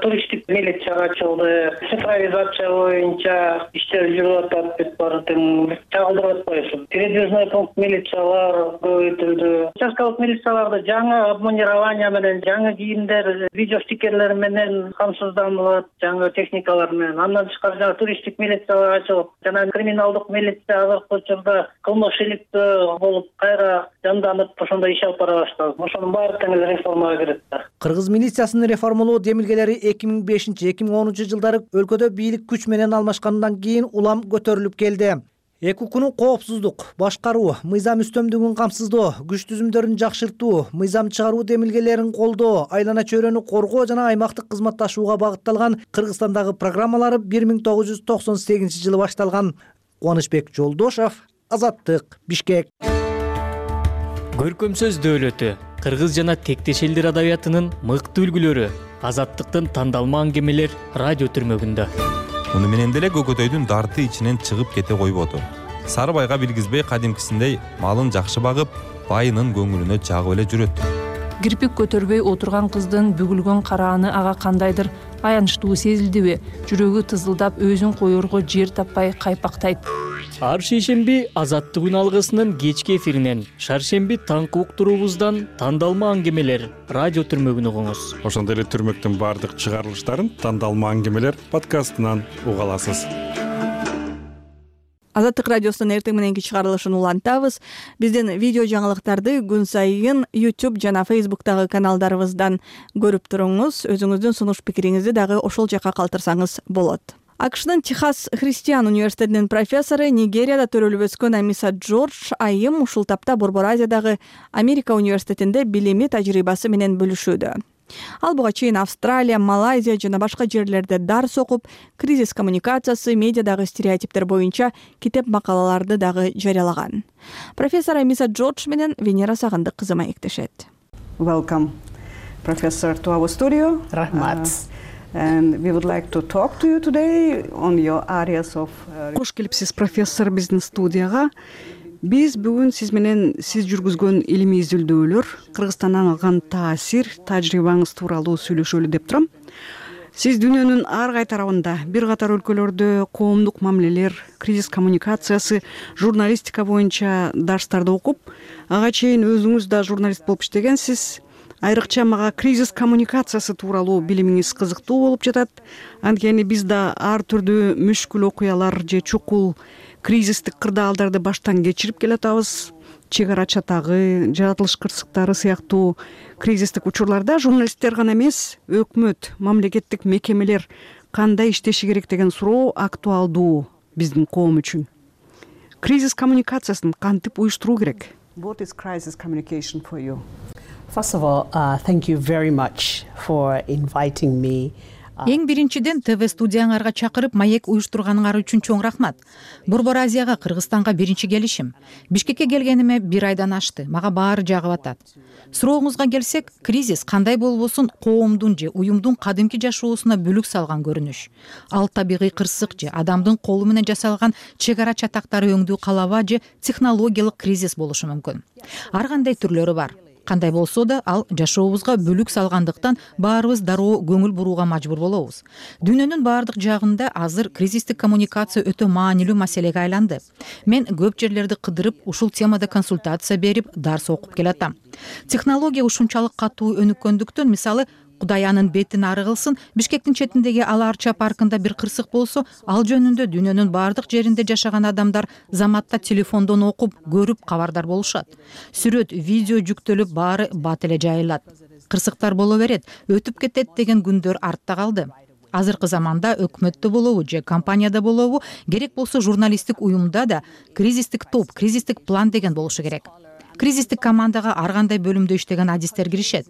[SPEAKER 22] Туристтик милиция ачылды, цифровизация боюнча иштер жүрүп атат деп баардыгын чагылдырып атпайсың. Передвижной пункт милициялар көбөйтүлдү. Участкалык милицияларды жаңы обмунирование менен, жаңы кийимдер, видео стикерлер менен камсызданылат, жаңы техникалар менен. Андан тышкары жана туристтик милициялар ачылып, жана криминалдык милиция азыркы учурда кылмыш иликтөө болуп кайра жанданып, ошондой иш алып бара баштады. Ошонун баары тең эле реформага кирет.
[SPEAKER 19] Кыргыз милициясынын реформалоо демилгелери 2005-2010 жылдары өлкөдө бийлик күч менен алмашкандан кийин улам көтөрүлүп келди. Эки укунун коопсуздук, башкаруу, мыйзам үстөмдүгүн камсыздоо, күч түзүмдөрүн жакшыртуу, мыйзам чыгаруу демилгелерин колдоо, айлана чөйрөнү коргоо жана аймактык кызматташууга багытталган Кыргызстандагы программалары 1998 жылы башталган. Кубанычбек Жолдошов, Азаттык, Бишкек.
[SPEAKER 23] Көркөм сөз дөөлөтү, кыргыз жана тектеш элдер адабиятынын мыкты үлгүлөрү, Азаттыктын тандалма аңгемелер радио түрмөгүндө.
[SPEAKER 24] Муну менен деле Көкөтөйдүн дарты ичинен чыгып кете койбоду. Сары байга билгизбей кадимкисиндей малын жакшы багып, байынын көңүлүнө жагып эле жүрөт.
[SPEAKER 12] Кирпик көтөрбөй отурган кыздын бүгүлгөн карааны ага кандайдыр аянычтуу сезилдиби? Жүрөгү тызылдап, өзүн коерго жер таппай кайпактайт.
[SPEAKER 23] Ар шейшемби Азаттык үн алгысынын кечки эфиринен, шаршемби таңкы уктуруубуздан тандалма аңгемелер радио түрмөгүн угуңуз.
[SPEAKER 18] Ошондой эле түрмөктүн баардык чыгарылыштарын тандалма аңгемелер подкастынан уга аласыз.
[SPEAKER 1] Азаттык радиосунун эртең мененки чыгарылышын улантабыз. Биздин видео жаңылыктарды күн сайын YouTube жана Facebook'тагы каналдарыбыздан көрүп туруңуз. Өзүңүздүн сунуш пикириңизди дагы ошол жака калтырсаңыз болот. АКШнын Техас Христиан университетинин профессору, Нигерияда төрөлүп өскөн Амиса Джордж айым ушул тапта Борбор Азиядагы Америка университетинде билими тажрыйбасы менен бөлүшүүдө. Ал буга чейин Австралия, Малайзия жана башка жерлерде дарс окуп, кризис коммуникациясы, медиадагы стереотиптер боюнча китеп макалаларды дагы жарыялаган. Профессор Амиса Джордж менен Венера Сагындык кызы маектешет.
[SPEAKER 25] Welcome, Professor, to our studio.
[SPEAKER 26] Рахмат.
[SPEAKER 25] And we would like to talk to you today on your areas of... Кош келипсиз, профессор, биздин студияга. Биз бүгүн сиз менен сиз жүргүзгөн илимий изилдөөлөр, Кыргызстандан алган таасир, тажрыйбаңыз тууралуу сүйлөшөлү деп турам. Сиз дүйнөнүн ар кай тарабында, бир катар өлкөлөрдө коомдук мамилелер, кризис коммуникациясы, журналистика боюнча дарстарды окуп, ага чейин өзүңүз да журналист болуп иштегенсиз. Айрыкча мага кризис коммуникациясы тууралуу билимиңиз кызыктуу болуп жатат. Анткени биз да ар түрдүү мүшкүл окуялар же чукул кризистик кырдаалдарды баштан кечирип келатабыз. Чек ара чатагы, жаратылыш кырсыктары сыяктуу кризистик учурларда журналисттер гана эмес, өкмөт, мамлекеттик мекемелер кандай иштеши керек деген суроо актуалдуу биздин коом үчүн. кризис коммуникациясын кантип уюштуруу керек?
[SPEAKER 3] What is crisis communication for you? First of all, thank you very much for inviting me.
[SPEAKER 4] Эң биринчиден ТВ студияңарга чакырып маек уюштурганыңар үчүн чоң рахмат. Борбор Азияга, Кыргызстанга биринчи келишим. Бишкекке келгениме 1 айдан ашты. Мага баары жагып атат. Сурооңузга келсек, кризис кандай болбосун коомдун же уюмдун кадимки жашоосуна бүлүк салган көрүнүш. Ал табигый кырсык же адамдын колу менен жасалган чек ара чатактары өңдүү калаба же технологиялык кризис болушу мүмкүн. Ар кандай түрлөрү бар. Кандай болсо да ал жашообузга бүлүк салгандыктан баарыбыз дароо көңүл бурууга мажбур болобуз. Дүйнөнүн баардык жагында азыр кризистик коммуникация өтө маанилүү маселеге айланды. Мен көп жерлерди кыдырып, ушул темада консультация берип, дарс окуп келатам. Технология ушунчалык катуу өнүккөндүктөн, мисалы, Кудай анын бетин ары кылсын, Бишкектин четиндеги Ала-Арча паркында бир кырсык болсо, ал жөнүндө дүйнөнүн баардык жеринде жашаган адамдар заматта телефондон окуп, көрүп кабардар болушат. Сүрөт, видео жүктөлүп, баары бат эле жайылат. Кырсыктар боло берет, өтүп кетет деген күндөр артта калды. Азыркы заманда өкмөттө болобу же компанияда болобу, керек болсо журналисттик уюмда да кризистик топ, кризистик план деген болушу керек. Кризистик командага ар кандай бөлүмдө иштеген адистер киришет.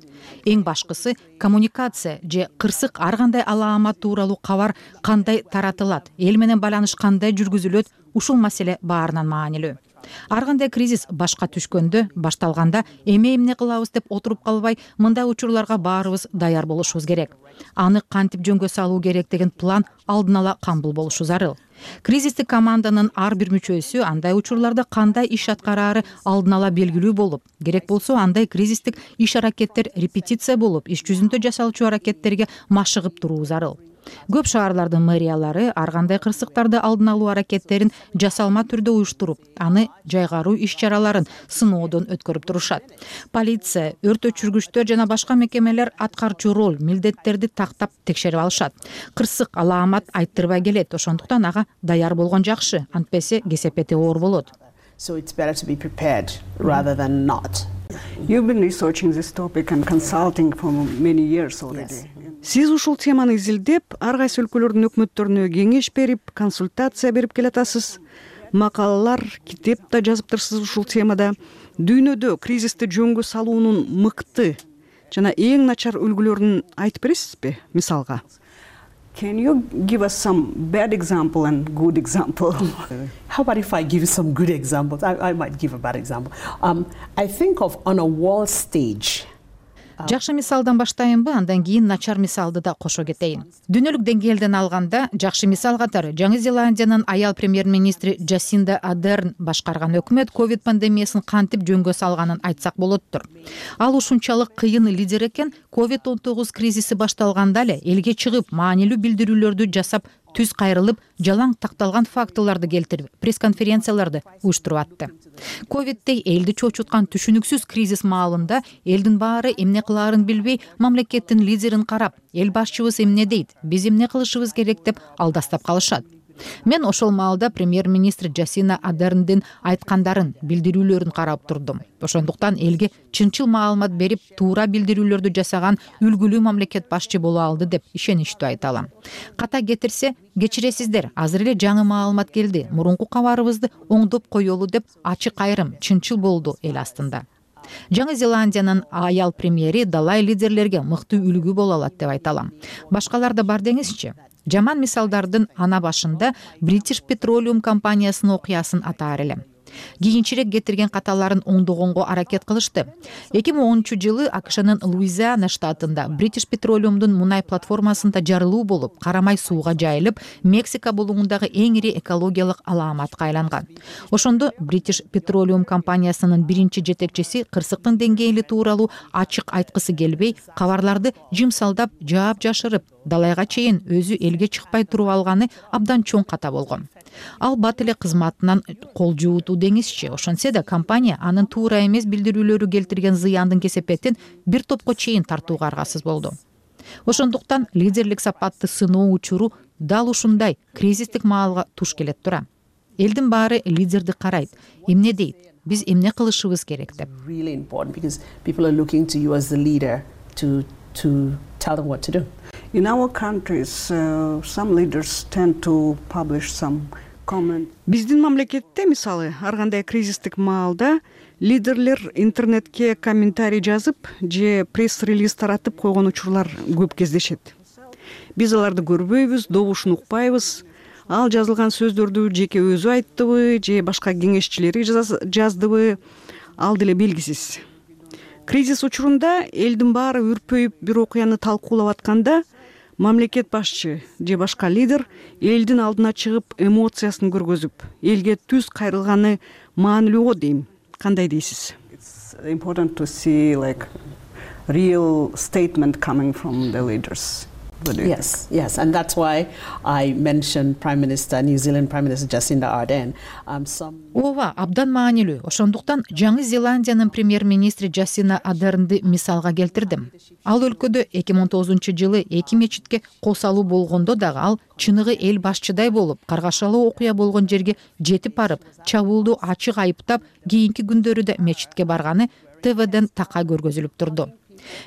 [SPEAKER 4] Эң башкысы коммуникация же кырсык ар кандай алаамат тууралуу кабар кандай таратылат, эл менен байланыш кандай жүргүзүлөт, ушул маселе баарынан маанилүү. Ар кандай кризис башка түшкөндө, башталганда эмне кылабыз деп отуруп калбай, мындай учурларга баарыбыз даяр болушубуз керек. Аны кантип жөнгө салуу керек деген план алдын ала камбул болушу зарыл. Кризистик команданын ар бир мүчөсү андай учурларда кандай иш аткараары алдын ала белгилүү болуп, керек болсо андай кризистик иш-аракеттер репетиция болуп, иш жүзүндө жасалчу аракеттерге машыгып туруу зарыл. Көп шаарлардын мэриялары ар кандай кырсыктарды алдын алуу аракеттерин жасалма түрдө уюштуруп, аны жайгаруу иш-чараларын сыноодон өткөрүп турушат. Полиция, өрт өчүргүчтөр жана башка мекемелер аткарчу роль, милдеттерди тактап текшерип алышат. Кырсык алаамат айттырбай келет, ошондуктан ага даяр болгон жакшы, антпесе кесепети оор болот.
[SPEAKER 3] So it's better to be prepared rather than not.
[SPEAKER 25] You've been researching this topic and consulting for many years already. Сиз ушул теманы изилдеп, ар кайсы өлкөлөрдүн өкмөттөрүнө кеңеш берип, консультация берип келатасыз. Макалалар, китеп да жазыптырсыз ушул темада. Дүйнөдө кризисти жөнгө салуунун мыкты жана эң начар үлгүлөрүн айтып бересизби, мисалга?
[SPEAKER 3] Can you give us some bad example and good example? How about if I give you some good examples? I might give a bad example. I think of on a world stage.
[SPEAKER 4] Жакшы мисалдан баштайынбы, андан кийин начар мисалды да кошо кетейин. Дүйнөлүк деңгээлден алганда, жакшы мисал катары Жаңы Зеландиянын аял премьер-министри Джасинда Адерн башкарган өкмөт ковид пандемиясын кантип жөнгө салганын айтсак болоттур. Ал ушунчалык кыйын лидер экен, COVID-19 кризиси башталганда эле элге чыгып, маанилүү билдирүүлөрдү жасап, түз кайрылып, жалаң такталган фактыларды келтирип, пресс-конференцияларды уюштуруп атты. Ковиддей элди чочуткан түшүнүксүз кризис маалында элдин баары эмне кылаарын билбей, мамлекеттин лидерин карап, эл башчыбыз эмне дейт, биз эмне кылышыбыз керек деп алдастап калышат. Мен ошол маалда премьер-министр Джасинда Адерндин айткандарын, билдирүүлөрүн карап турдум. Ошондуктан элге чынчыл маалымат берип, туура билдирүүлөрдү жасаган үлгүлүү мамлекет башчы боло алды деп ишеничтүү айта алам. Ката кетирсе, кечиресиздер, азыр эле жаңы маалымат келди. Мурунку кабарыбызды оңдоп коелу деп ачык айрым, чынчыл болду эл астында. Жаңы Зеландиянын аял премьери далай лидерлерге мыкты үлгү боло алат деп айта алам. Башкалар да бар деңизчи. Жаман мисалдардын ана башында British Petroleum компаниясынын окуясын атаар элем. Кийинчерээк кетирген каталарын оңдогонго аракет кылышты. 2010-жылы АКШнын Луизиана штатында British Petroleumдун мунай платформасында жарылуу болуп, карамай сууга жайылып, Мексика булуңундагы эң ири экологиялык алааматка айланган. Ошондо British Petroleum компаниясынын биринчи жетекчиси кырсыктын деңгээли тууралуу ачык айткысы келбей, кабарларды жымсалдап, жаап жашырып, далайга чейин өзү элге чыкпай туруп алганы абдан чоң ката болгон. Ал бат эле кызматынан кол жуутуу деңизчи. Ошонсе да компания анын туура эмес билдирүүлөрү келтирген зыяндын кесепетин бир топко чейин тартууга аргасыз болду. Ошондуктан лидерлик сапатты сыноо учуру дал ушундай кризистик маалга туш келет тура. Элдин баары лидерди карайт, эмне дейт, биз эмне кылышыбыз керек деп.
[SPEAKER 3] Really important because people are looking to you as the leader to tell them what to do.
[SPEAKER 25] In our countries, some leaders tend to publish some Биздин мамлекетте мисалы ар кандай кризистик маалда лидерлер интернетке комментарий жазып же пресс-релиз таратып койгон учурлар көп кездешет. Биз аларды көрбөйбүз, добушун укпайбыз. Ал жазылган сөздөрдү жеке өзү айттыбы же башка кеңешчилери жаздыбы, ал деле белгисиз. Кризис учурунда элдин баары үрпөйүп бир окуяны талкуулап атканда мамлекет башчы же башка лидер элдин алдына чыгып эмоциясын көргөзүп, элге түз кайрылганы маанилүү го дейм. Кандай дейсиз? It's important to see like real statement coming from the leaders.
[SPEAKER 3] Yes, and that's why I mentioned New Zealand Prime Minister Jacinda Ardern.
[SPEAKER 4] Ооба, абдан маанилүү. Ошондуктан Жаңы Зеландиянын премьер-министри Джасинда Ардернди мисалга келтирдим. Ал өлкөдө 2009-жылы 2 мечитке косалуу болгондо дагы ал чыныгы эл башчыдай болуп, каргашалуу окуя болгон жерге жетип барып, чабуулду ачык айыптап, кийинки күндөрү да мечитке барганы ТВден такай көргөзүлүп турду.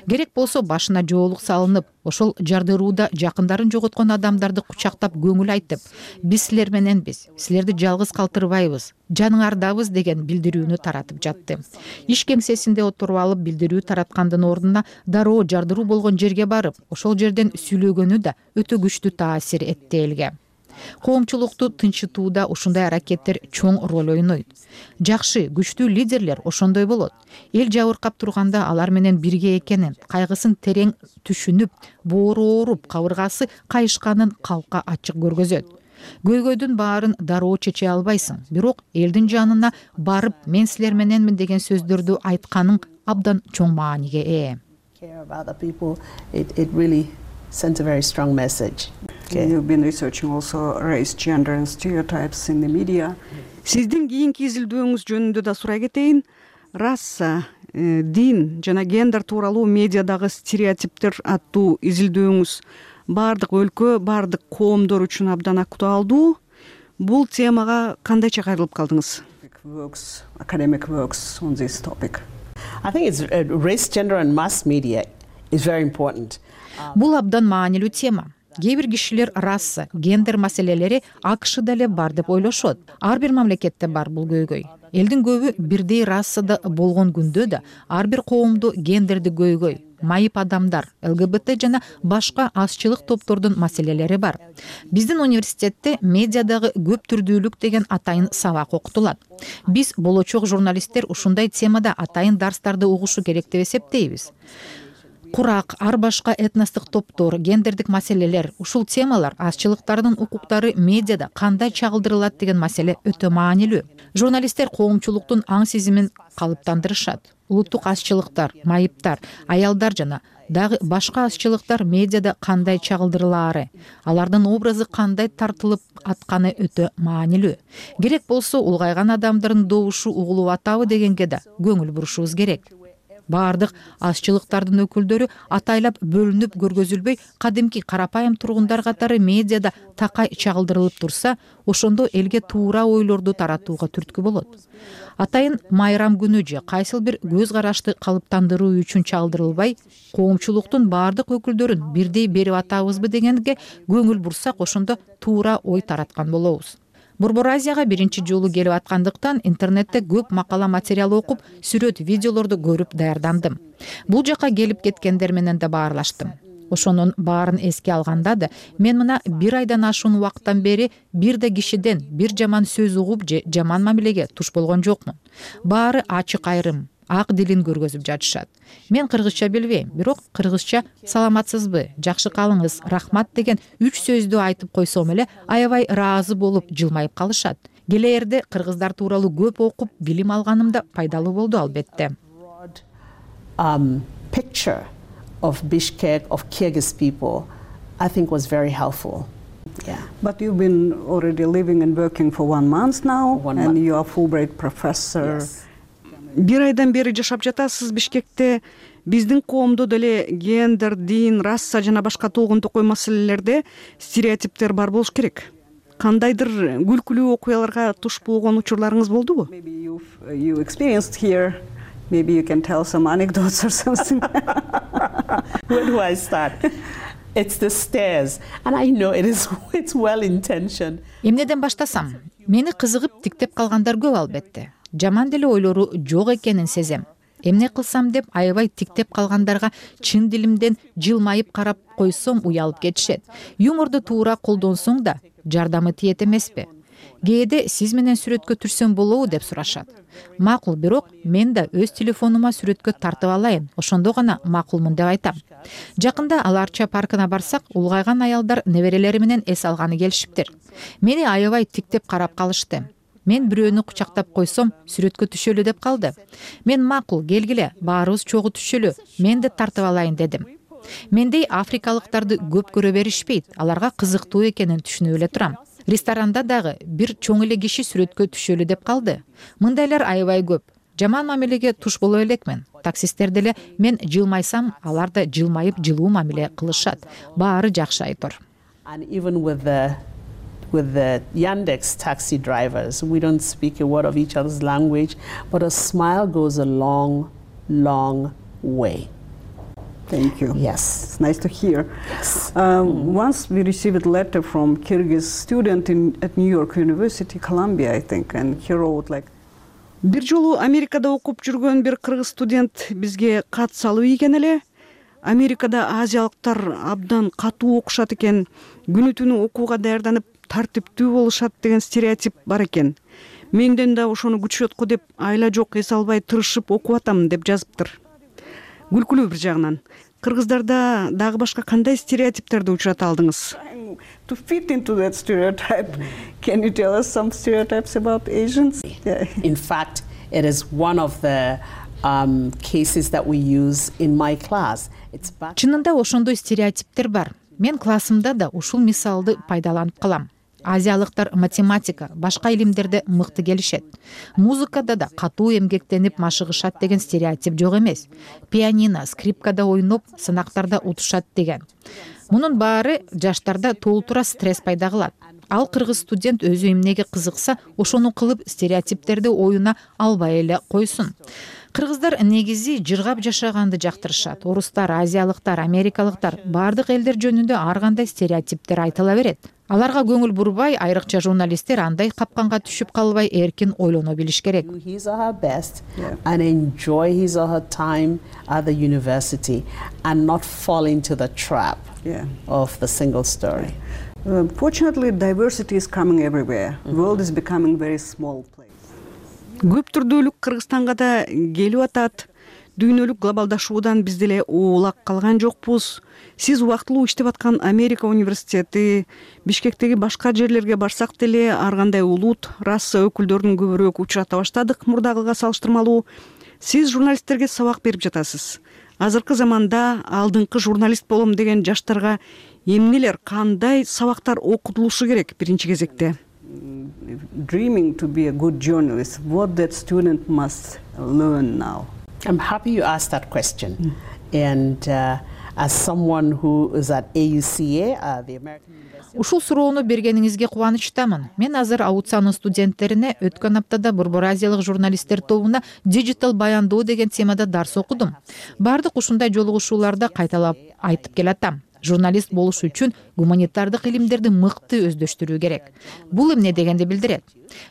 [SPEAKER 4] Керек болсо башына жоолук салынып, ошол жардырууда жакындарын жоготкон адамдарды кучактап көңүл айтып, биз силер мененбиз, силерди жалгыз калтырбайбыз, жаныңардабыз деген билдирүүнү таратып жатты. Иш кеңсесинде отуруп алып билдирүү тараткандын ордуна дароо жардыруу болгон жерге барып, ошол жерден сүйлөгөнү да өтө күчтүү таасир этти элге. Коомчулукту тынчытууда ушундай аракеттер чоң роль ойнойт. Жакшы, күчтүү лидерлер ошондой болот. Эл жабыркап турганда алар менен бирге экенин, кайгысын терең түшүнүп, боору ооруп, кабыргасы кайышканын калкка ачык көргөзөт. Көйгөйдүн баарын дароо чече албайсың, бирок элдин жанына барып, мен силер мененмин деген сөздөрдү айтканың абдан чоң мааниге ээ.
[SPEAKER 3] Sends a very strong message.
[SPEAKER 25] You've been researching also race, gender and stereotypes in the media. Сиздин кийинки изилдөөңүз жөнүндө да сурай кетейин. Раса, дин жана гендер тууралуу медиадагы стереотиптер аттуу изилдөөңүз баардык өлкө, баардык коомдор үчүн абдан актуалдуу. Бул темага кандайча кайрылып калдыңыз? Academic works on this topic.
[SPEAKER 3] I think it's race, gender and mass media is very important.
[SPEAKER 4] Бул абдан маанилүү тема. Кээ бир кишилер раса, гендер маселелери АКШда эле бар деп ойлошот. Ар бир мамлекетте бар бул көйгөй. Элдин көбү бирдей расада болгон күндө да ар бир коомдо гендерди көйгөй, майып адамдар, ЛГБТ жана башка азчылык топтордун маселелери бар. Биздин университетте медиадагы көп түрдүүлүк деген атайын сабак окутулат. Биз болочок журналисттер ушундай темада атайын дарстарды угушу керек деп эсептейбиз. Курак, ар башка этностук топтор, гендердик маселелер, ушул темалар азчылыктардын укуктары медиада кандай чагылдырылат деген маселе өтө маанилүү. Журналисттер коомчулуктун аң сезимин калыптандырышат. Улуттук азчылыктар, майыптар, аялдар жана дагы башка азчылыктар медиада кандай чагылдырылаары, алардын образы кандай тартылып атканы өтө маанилүү. Керек болсо улгайган адамдардын добушу угулуп атабы дегенге да көңүл бурушубуз керек. Баардык азчылыктардын өкүлдөрү атайлап бөлүнүп көргөзүлбөй, кадимки карапайым тургундар катары медиада такай чагылдырылып турса, ошондо элге туура ойлорду таратууга түрткү болот. Атайын майрам күнү же кайсыл бир көз карашты калыптандыруу үчүн чагылдырылбай, коомчулуктун баардык өкүлдөрүн бирдей берип атабызбы дегенге көңүл бурсак, ошондо туура ой тараткан болобуз. Борбор Азияга биринчи жолу келип аткандыктан интернетте көп макала материал окуп, сүрөт, видеолорду көрүп даярдандым. Бул жака келип кеткендер менен да баарлаштым. Ошонун баарын эске алганда да, мен мына 1 айдан ашуун убакыттан бери бир да кишиден бир жаман сөз угуп же жаман мамилеге туш болгон жокмун. Баары ачык айрым, ак дилин көргөзүп жатышат. Мен кыргызча билбейм, бирок кыргызча саламатсызбы, жакшы калыңыз, рахмат деген 3 сөздү айтып койсом эле аябай ыраазы болуп жылмайып калышат. Келээрде кыргыздар тууралуу көп окуп, билим алганым да пайдалуу болду албетте.
[SPEAKER 3] Picture of Bishkek, of Kyrgyz people, I think was very helpful. Yeah.
[SPEAKER 25] But you've been already living and working for 1 month now, and you are Fulbright professor.
[SPEAKER 3] Yes.
[SPEAKER 25] Бир айдан бери жашап жатасыз Бишкекте. Биздин коомдо деле гендер, дин, раса жана башка толгун токой маселелерде стереотиптер бар болуш керек. Кандайдыр күлкүлүү окуяларга туш болгон учурларыңыз болдубу? Maybe you experienced here. Maybe you can tell some anecdotes or something.
[SPEAKER 3] Where do I start? It's the stairs, and I know it's well intentioned.
[SPEAKER 4] Эмнеден баштасам? Мени кызыгып тиктеп калгандар көп албетте. Жаман деле ойлору жок экенин сезем. Эмне кылсам деп аябай тиктеп калгандарга чын дилимден жылмайып карап койсом уялып кетишет. Юморду туура колдонсоң да жардамы тиет эмеспи? Кээде сиз менен сүрөткө түшсөм болобу деп сурашат. Макул, бирок мен да өз телефонума сүрөткө тартып алайын, ошондо гана макулмун деп айтам. Жакында Аларча паркына барсак, улгайган аялдар неберелери менен эс алганы келишиптир. Мени аябай тиктеп карап калышты. Мен бирөөнү кучактап койсом, сүрөткө түшөлү деп калды. Мен макул, келгиле, баарыбыз чогуу түшөлү, мен да тартып алайын дедим. Мендей африкалыктарды көп көрө беришпейт, аларга кызыктуу экенин түшүнүп эле турам. Ресторанда дагы бир чоң эле киши сүрөткө түшөлү деп калды. Мындайлар аябай көп. Жаман мамилеге туш боло элекмин. Таксисттер деле мен жылмайсам, алар да жылмайып жылуу мамиле кылышат. Баары жакшы айтор.
[SPEAKER 3] With the Yandex taxi drivers, we don't speak a word of each other's language, but a smile goes a long, long way.
[SPEAKER 25] Thank you.
[SPEAKER 3] Yes.
[SPEAKER 25] It's nice to hear. Yes. Once we received a letter from Kyrgyz student at New York University, Columbia, I think, and he wrote like, бир жолу Америкада окуп жүргөн бир кыргыз студент бизге кат салып ийген эле. Америкада азиялыктар абдан катуу окушат экен, күнү түнү окууга даярданып тартиптүү болушат деген стереотип бар экен. Менден да ошону күтүшөт го деп айла жок эс албай тырышып окуп атам деп жазыптыр. Күлкүлүү бир жагынан. Кыргыздарда дагы башка кандай стереотиптерди учурата алдыңыз? To fit into that stereotype, can you tell us some stereotypes about Asians?
[SPEAKER 3] In fact, it is one of the cases that we use in my class.
[SPEAKER 4] Чынында ошондой стереотиптер бар. Мен классымда да ушул мисалды пайдаланып калам. Азиялыктар математика, башка илимдерде мыкты келишет. Музыкада да катуу эмгектенип машыгышат деген стереотип жок эмес. Пианино, скрипкада ойноп, сынактарда утушат деген. Мунун баары жаштарда толтура стресс пайда кылат. Ал кыргыз студент өзү эмнеге кызыкса, ошону кылып стереотиптерди оюна албай эле койсун. Кыргыздар негизи жыргап жашаганды жактырышат. Орустар, азиялыктар, америкалыктар баардык элдер жөнүндө ар кандай стереотиптер айтыла берет. Аларга көңүл бурбай, айрыкча журналисттер андай капканга түшүп калбай эркин ойлоно билиш керек.
[SPEAKER 3] His or her best and enjoy his or her time at the university and not fall into the trap of the single story.
[SPEAKER 25] Fortunately, diversity is coming everywhere. The world is becoming a very small place. Көп түрдүүлүк Кыргызстанга да келип атат. Дүйнөлүк глобалдашуудан биз деле оолак калган жокпуз. Сиз убактылуу иштеп аткан Америка университети, Бишкектеги башка жерлерге барсак деле ар кандай улут, раса өкүлдөрүн көбүрөөк учурата баштадык мурдагыга салыштырмалуу. Сиз журналисттерге сабак берип жатасыз. Азыркы заманда алдыңкы журналист болом деген жаштарга эмнелер, кандай сабактар окутулушу керек биринчи кезекте? Dreaming to be a good journalist, what that student must learn now?
[SPEAKER 3] I'm happy you asked that question. And as someone who is at AUCA, the American University.
[SPEAKER 4] Ушул суроону бергениңизге кубанычтамын. Мен азыр аутсанын студенттерине өткөн аптада Борбор Азиялык журналисттер тобуна диджитал баяндоо деген темада дарс окудум. Бардык ушундай жолугушууларда кайталап айтып келатам. Журналист болуш үчүн гуманитардык илимдерди мыкты өздөштүрүү керек. Бул эмне дегенди билдирет.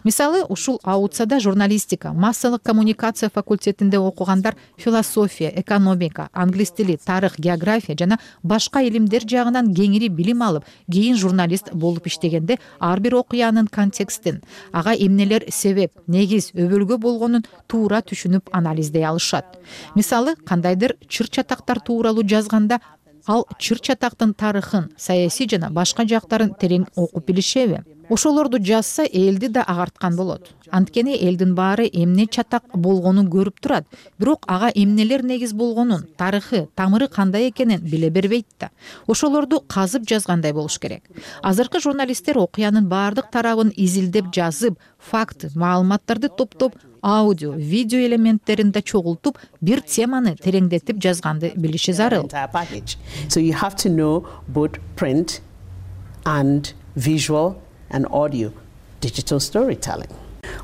[SPEAKER 4] Мисалы, ушул аутсада журналистика, массалык коммуникация факультетинде окугандар философия, экономика, англис тили, тарых, география жана башка илимдер жагынан кеңири билим алып, кийин журналист болуп иштегенде ар бир окуянын контекстин, ага эмнелер себеп, негиз, өбөлгө болгонун туура түшүнүп анализдей алышат. Мисалы, кандайдыр чыр-чатактар тууралуу жазганда ал чыр-чатактын тарыхын, саясий жана башка жактарын терең окуп билишеби? Ошолорду жазса, элди да агарткан болот. Анткени элдин баары эмне чатак болгонун көрүп турат, бирок ага эмнелер негиз болгонун, тарыхы, тамыры кандай экенин биле бербейт да. Ошолорду казып жазгандай болуш керек. Азыркы журналисттер окуянын баардык тарабын изилдеп жазып, факт, маалыматтарды топтоп, аудио, видео элементтерин да чогултуп, бир теманы тереңдетип жазганды билиши зарыл.
[SPEAKER 3] So you have to know both print and visual and audio digital storytelling.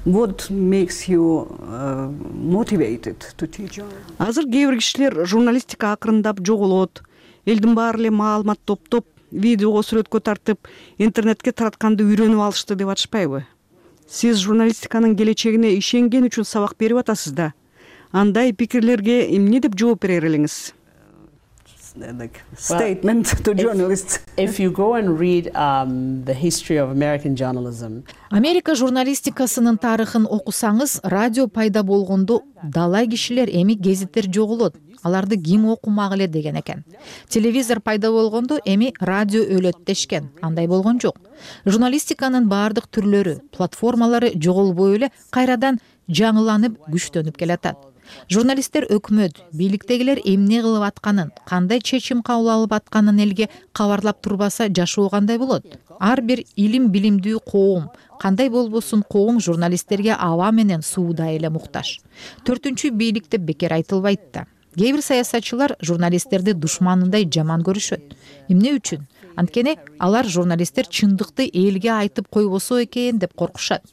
[SPEAKER 25] What makes you motivated to teach? Азыр кээ бир кишилер журналистика акырындап жоголот. Элдин баары эле маалымат топтоп, видеого сүрөткө тартып, интернетке таратканды үйрөнүп алышты деп атышпайбы? Сиз журналистиканын келечегине ишенген үчүн сабак берип атасыз да. Андай пикирлерге эмне деп жооп берер элеңиз?
[SPEAKER 3] Statement to journalists. If you go and read the history of American journalism.
[SPEAKER 4] Америка журналистикасынын тарыхын окусаңыз, радио пайда болгондо далай кишилер, эми гезиттер жоголот. Аларды ким окумак эле деген экен. Телевизор пайда болгондо эми радио өлөт дешкен. Андай болгон жок. Журналистиканын баардык түрлөрү, платформалары жоголбой эле кайрадан жаңыланып, күчтөнүп келатат. Журналисттер өкмөт, бийликтегилер эмне кылып атканын, кандай чечим кабыл алып атканын элге кабарлап турбаса жашоо кандай болот? Ар бир илим билимдүү коом, кандай болбосун коом журналисттерге аба менен сууда эле муктаж. 4-чү бийлик деп бекер айтылбайт да. Кээ бир саясатчылар журналисттерди душманындай жаман көрүшөт. Эмне үчүн? Анткени алар журналисттер чындыкты элге айтып койбосо экен деп коркушат.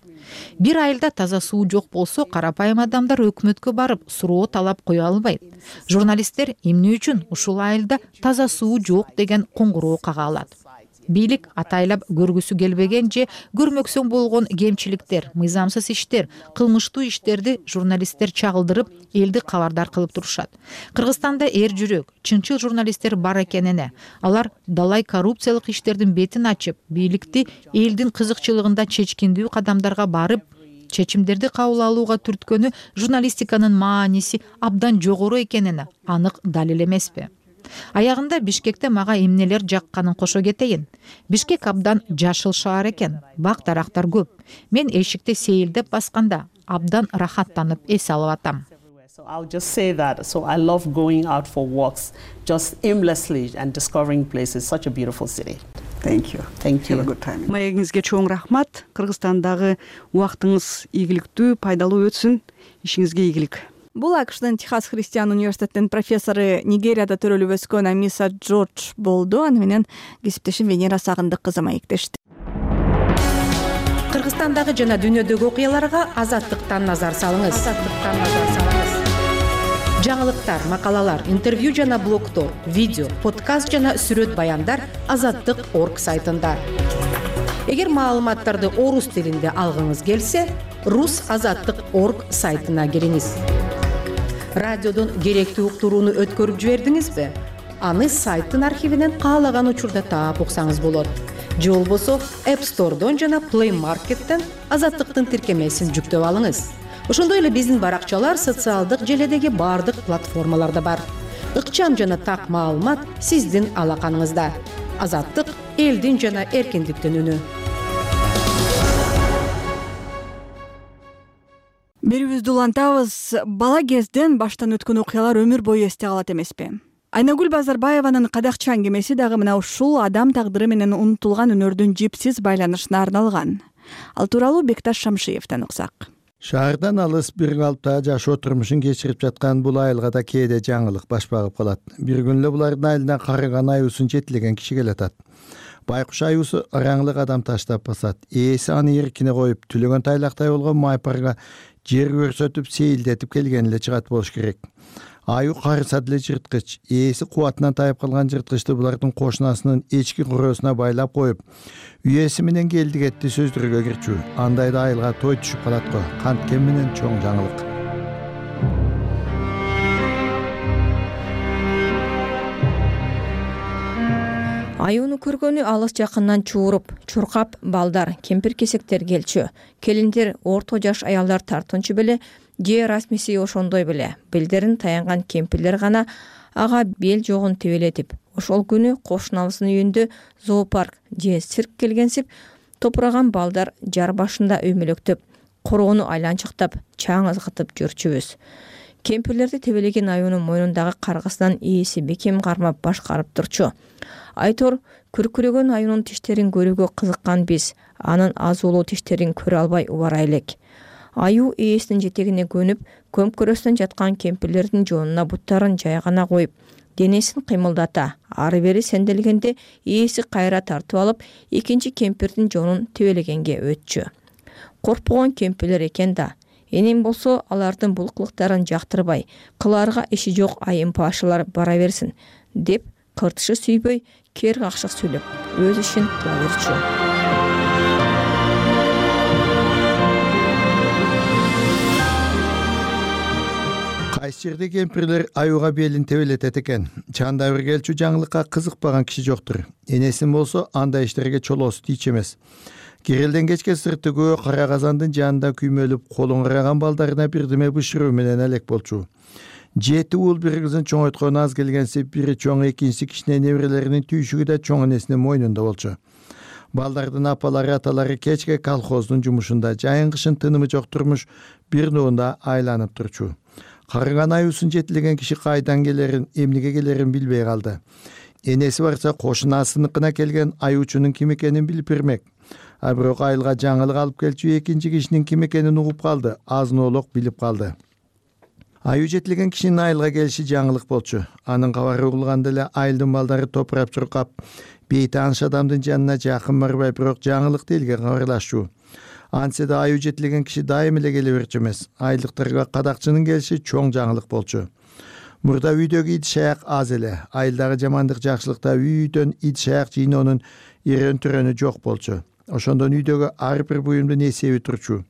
[SPEAKER 4] Бир айылда таза суу жок болсо, карапайым адамдар өкмөткө барып суроо талап кое албайт. Журналисттер эмне үчүн ушул айылда таза суу жок деген коңгуроо кага алат. Бийлик атайлап көргүсү келбеген же көрмөксөң болгон кемчиликтер, мыйзамсыз иштер, кылмыштуу иштерди журналисттер чагылдырып, элди кабардар кылып турушат. Кыргызстанда эр жүрөк, чынчыл журналисттер бар экенине, алар далай коррупциялык иштердин бетин ачып, бийликти элдин кызыкчылыгында чечкиндүү кадамдарга барып, чечимдерди кабыл алууга түрткөнү журналистиканын мааниси абдан жогору экенине анык далил эмеспи? Аягында Бишкекте мага эмнелер жакканын кошо кетейин. Бишкек абдан жашыл шаар экен, бак дарактар көп. Мен эшикти сейилдеп басканда абдан рахаттанып эс алып атам.
[SPEAKER 3] So I'll just say that. So I love going out for walks, just aimlessly and discovering places. Such a beautiful city.
[SPEAKER 25] Thank you.
[SPEAKER 3] Thank you.
[SPEAKER 25] Have a good time. Маегиңизге чоң рахмат. Кыргызстандагы убактыңыз ийгиликтүү, пайдалуу өтсүн. Ишиңизге ийгилик.
[SPEAKER 1] Бул АКШдын Техас Христиан университетинин профессору, Нигерияда төрөлүп өскөн Амиса Джордж болду. Аны менен кесиптешим Венера Сагындык кызы маектешти.
[SPEAKER 4] Кыргызстандагы жана дүйнөдөгү окуяларга Азаттыктан назар салыңыз. Жаңылыктар, макалалар, интервью жана блогдор, видео, подкаст жана сүрөт баяндар Азаттык.org сайтында. Эгер маалыматтарды орус тилинде алгыңыз келсе, rusazаттык.org сайтына кириңиз. Радиодон керектүү уктурууну өткөрүп жибердиңизби? Аны сайттын архивинен каалаган учурда таап уксаңыз болот. Же болбосо App Store'дон жана Play Market'тен Азаттыктын тиркемесин жүктөп алыңыз. Ошондой эле биздин баракчалар социалдык желедеги бардык платформаларда бар. Ыкчам жана так маалымат сиздин алаканыңызда. Азаттык — элдин жана эркиндиктин үнү.
[SPEAKER 1] Берүүбүздү улантабыз. Бала кезден баштан өткөн окуялар өмүр бою эсте калат эмеспи? Айнагүл Базарбаеванын кадакчы аңгемеси дагы мына ушул адам тагдыры менен унутулган өнөрдүн жипсиз байланышына арналган. Ал тууралуу Бекташ Шамшиевден уксак.
[SPEAKER 5] Шаардан алыс бир калыпта жашоо турмушун кечирип жаткан бул айылга да кээде жаңылык баш багып калат. Бир күн эле булардын айылына карыган аюусун жетилеген киши келатат. Байкуш аюусу ыраңлык адам таштап басат. Ээси аны эркине коюп, түлөгөн тайлактай болгон майпарга жер көрсөтүп сейилдетип келген эле чыгат болуш керек. Аю карыса деле жырткыч. Ээси кубатынан тайып калган жырткычты булардын кошунасынын эчки куросуна байлап коюп, үйеси менен келди кетти сөздөргө кирчү. Андайда айылга той түшүп калат го. Канткен менен чоң жаңылык.
[SPEAKER 6] Аюуну көргөнү алыс жакындан чууруп, чуркап балдар, кемпир-кесектер келчү. Келиндер, орто жаш аялдар тартынчу беле, же расмиси ошондой беле. Белдерин таянган кемпирлер гана ага бел жогун тебелетип, ошол күнү кошунабыздын үйүндө зоопарк же цирк келгенсип, топураган балдар жар башында өймөлөктөп, короону айланчыктап, чаң ызгытып жүрчүбүз. Кемпирлерди тебелеген аюунун мойнундагы каргысынан ээси бекем кармап башкарып турчу. Айтор күркүрөгөн аюунун тиштерин көрүүгө кызыккан биз, анын азуулуу тиштерин көрө албай убара элек. Аюу ээсинин жетегине көнүп, көмкөрөстөн жаткан кемпирлердин жоонуна буттарын жайгана коюп, денесин кыймылдата, ары бери сенделгенде ээси кайра тартып алып, экинчи кемпирдин жоонун тебелегенге өтчү. Коркпогон кемпирлер экен да. Энем болсо алардын бул кылыктарын жактырбай, кылаарга иши жок айымпашылар бара берсин деп кыртышы сүйбөй, кер какшык сүйлөп, өз ишин кыла берчү.
[SPEAKER 5] Кайсы жерде кемпирлер аюуга белин тебелетет экен. Чанда бир келчү жаңылыкка кызыкпаган киши жоктур. Энесин болсо андай иштерге чолоосу тийчү эмес. Кирелден кечке сырты көбө кара казандын жанында күймөлүп, колун караган балдарына бирдеме бышыруу менен элек болчу. 7 уул бир кызын чоңойткон аз келгенси бири чоң, экинчиси кичине неберелеринин түйшүгү да чоң энесинин мойнунда болчу. Балдардын апалары, аталары кечке колхоздун жумушунда, жайын кышын тынымы жок турмуш бир нуунда айланып турчу. Карыган аюусун жетилеген киши кайдан келерин, эмнеге келерин билбей калды. Энеси барса кошунасыныкына келген аюучунун ким экенин билип бермек. А бирок айылга жаңылык алып келчү экинчи кишинин ким экенин угуп калды, азын-оолок билип калды. Аюу жетилген кишинин айылга келиши жаңылык болчу. Анын кабары угулганда эле айылдын балдары топурап чуркап, бейтааныш адамдын жанына жакын барбай, бирок жаңылыкты элге кабарлашчу. Антсе да аюу жетилген киши дайым эле келе берчү эмес. Айылдыктарга кадакчынын келиши чоң жаңылык болчу. Мурда үйдөгү ит шаяк аз эле. Айылдагы жамандык жакшылыкта үйдөн ит шаяк жыйноонун ирөн-түрөнү жок болчу. Ошондон үйдөгү ар бир буюмдун эсеби турчу.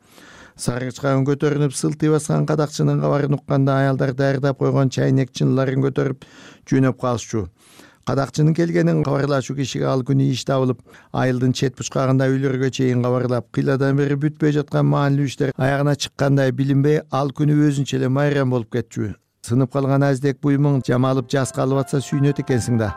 [SPEAKER 5] Саргычка өн көтөрүнүп сылтый баскан кадакчынын кабарын укканда аялдар даярдап койгон чайнек чыныларын көтөрүп жөнөп калышчу. Кадакчынын келгенин кабарлашуу кишиге ал күнү иш табылып, айылдын чет бучкагында үйлөргө чейин кабарлап, кыйладан бери бүтпөй жаткан маанилүү иштер аягына чыккандай билинбей, ал күнү өзүнчө эле майрам болуп кетчү. Сынып калган аздек буюмуң жамалып жас калып атса сүйүнөт экенсиң да.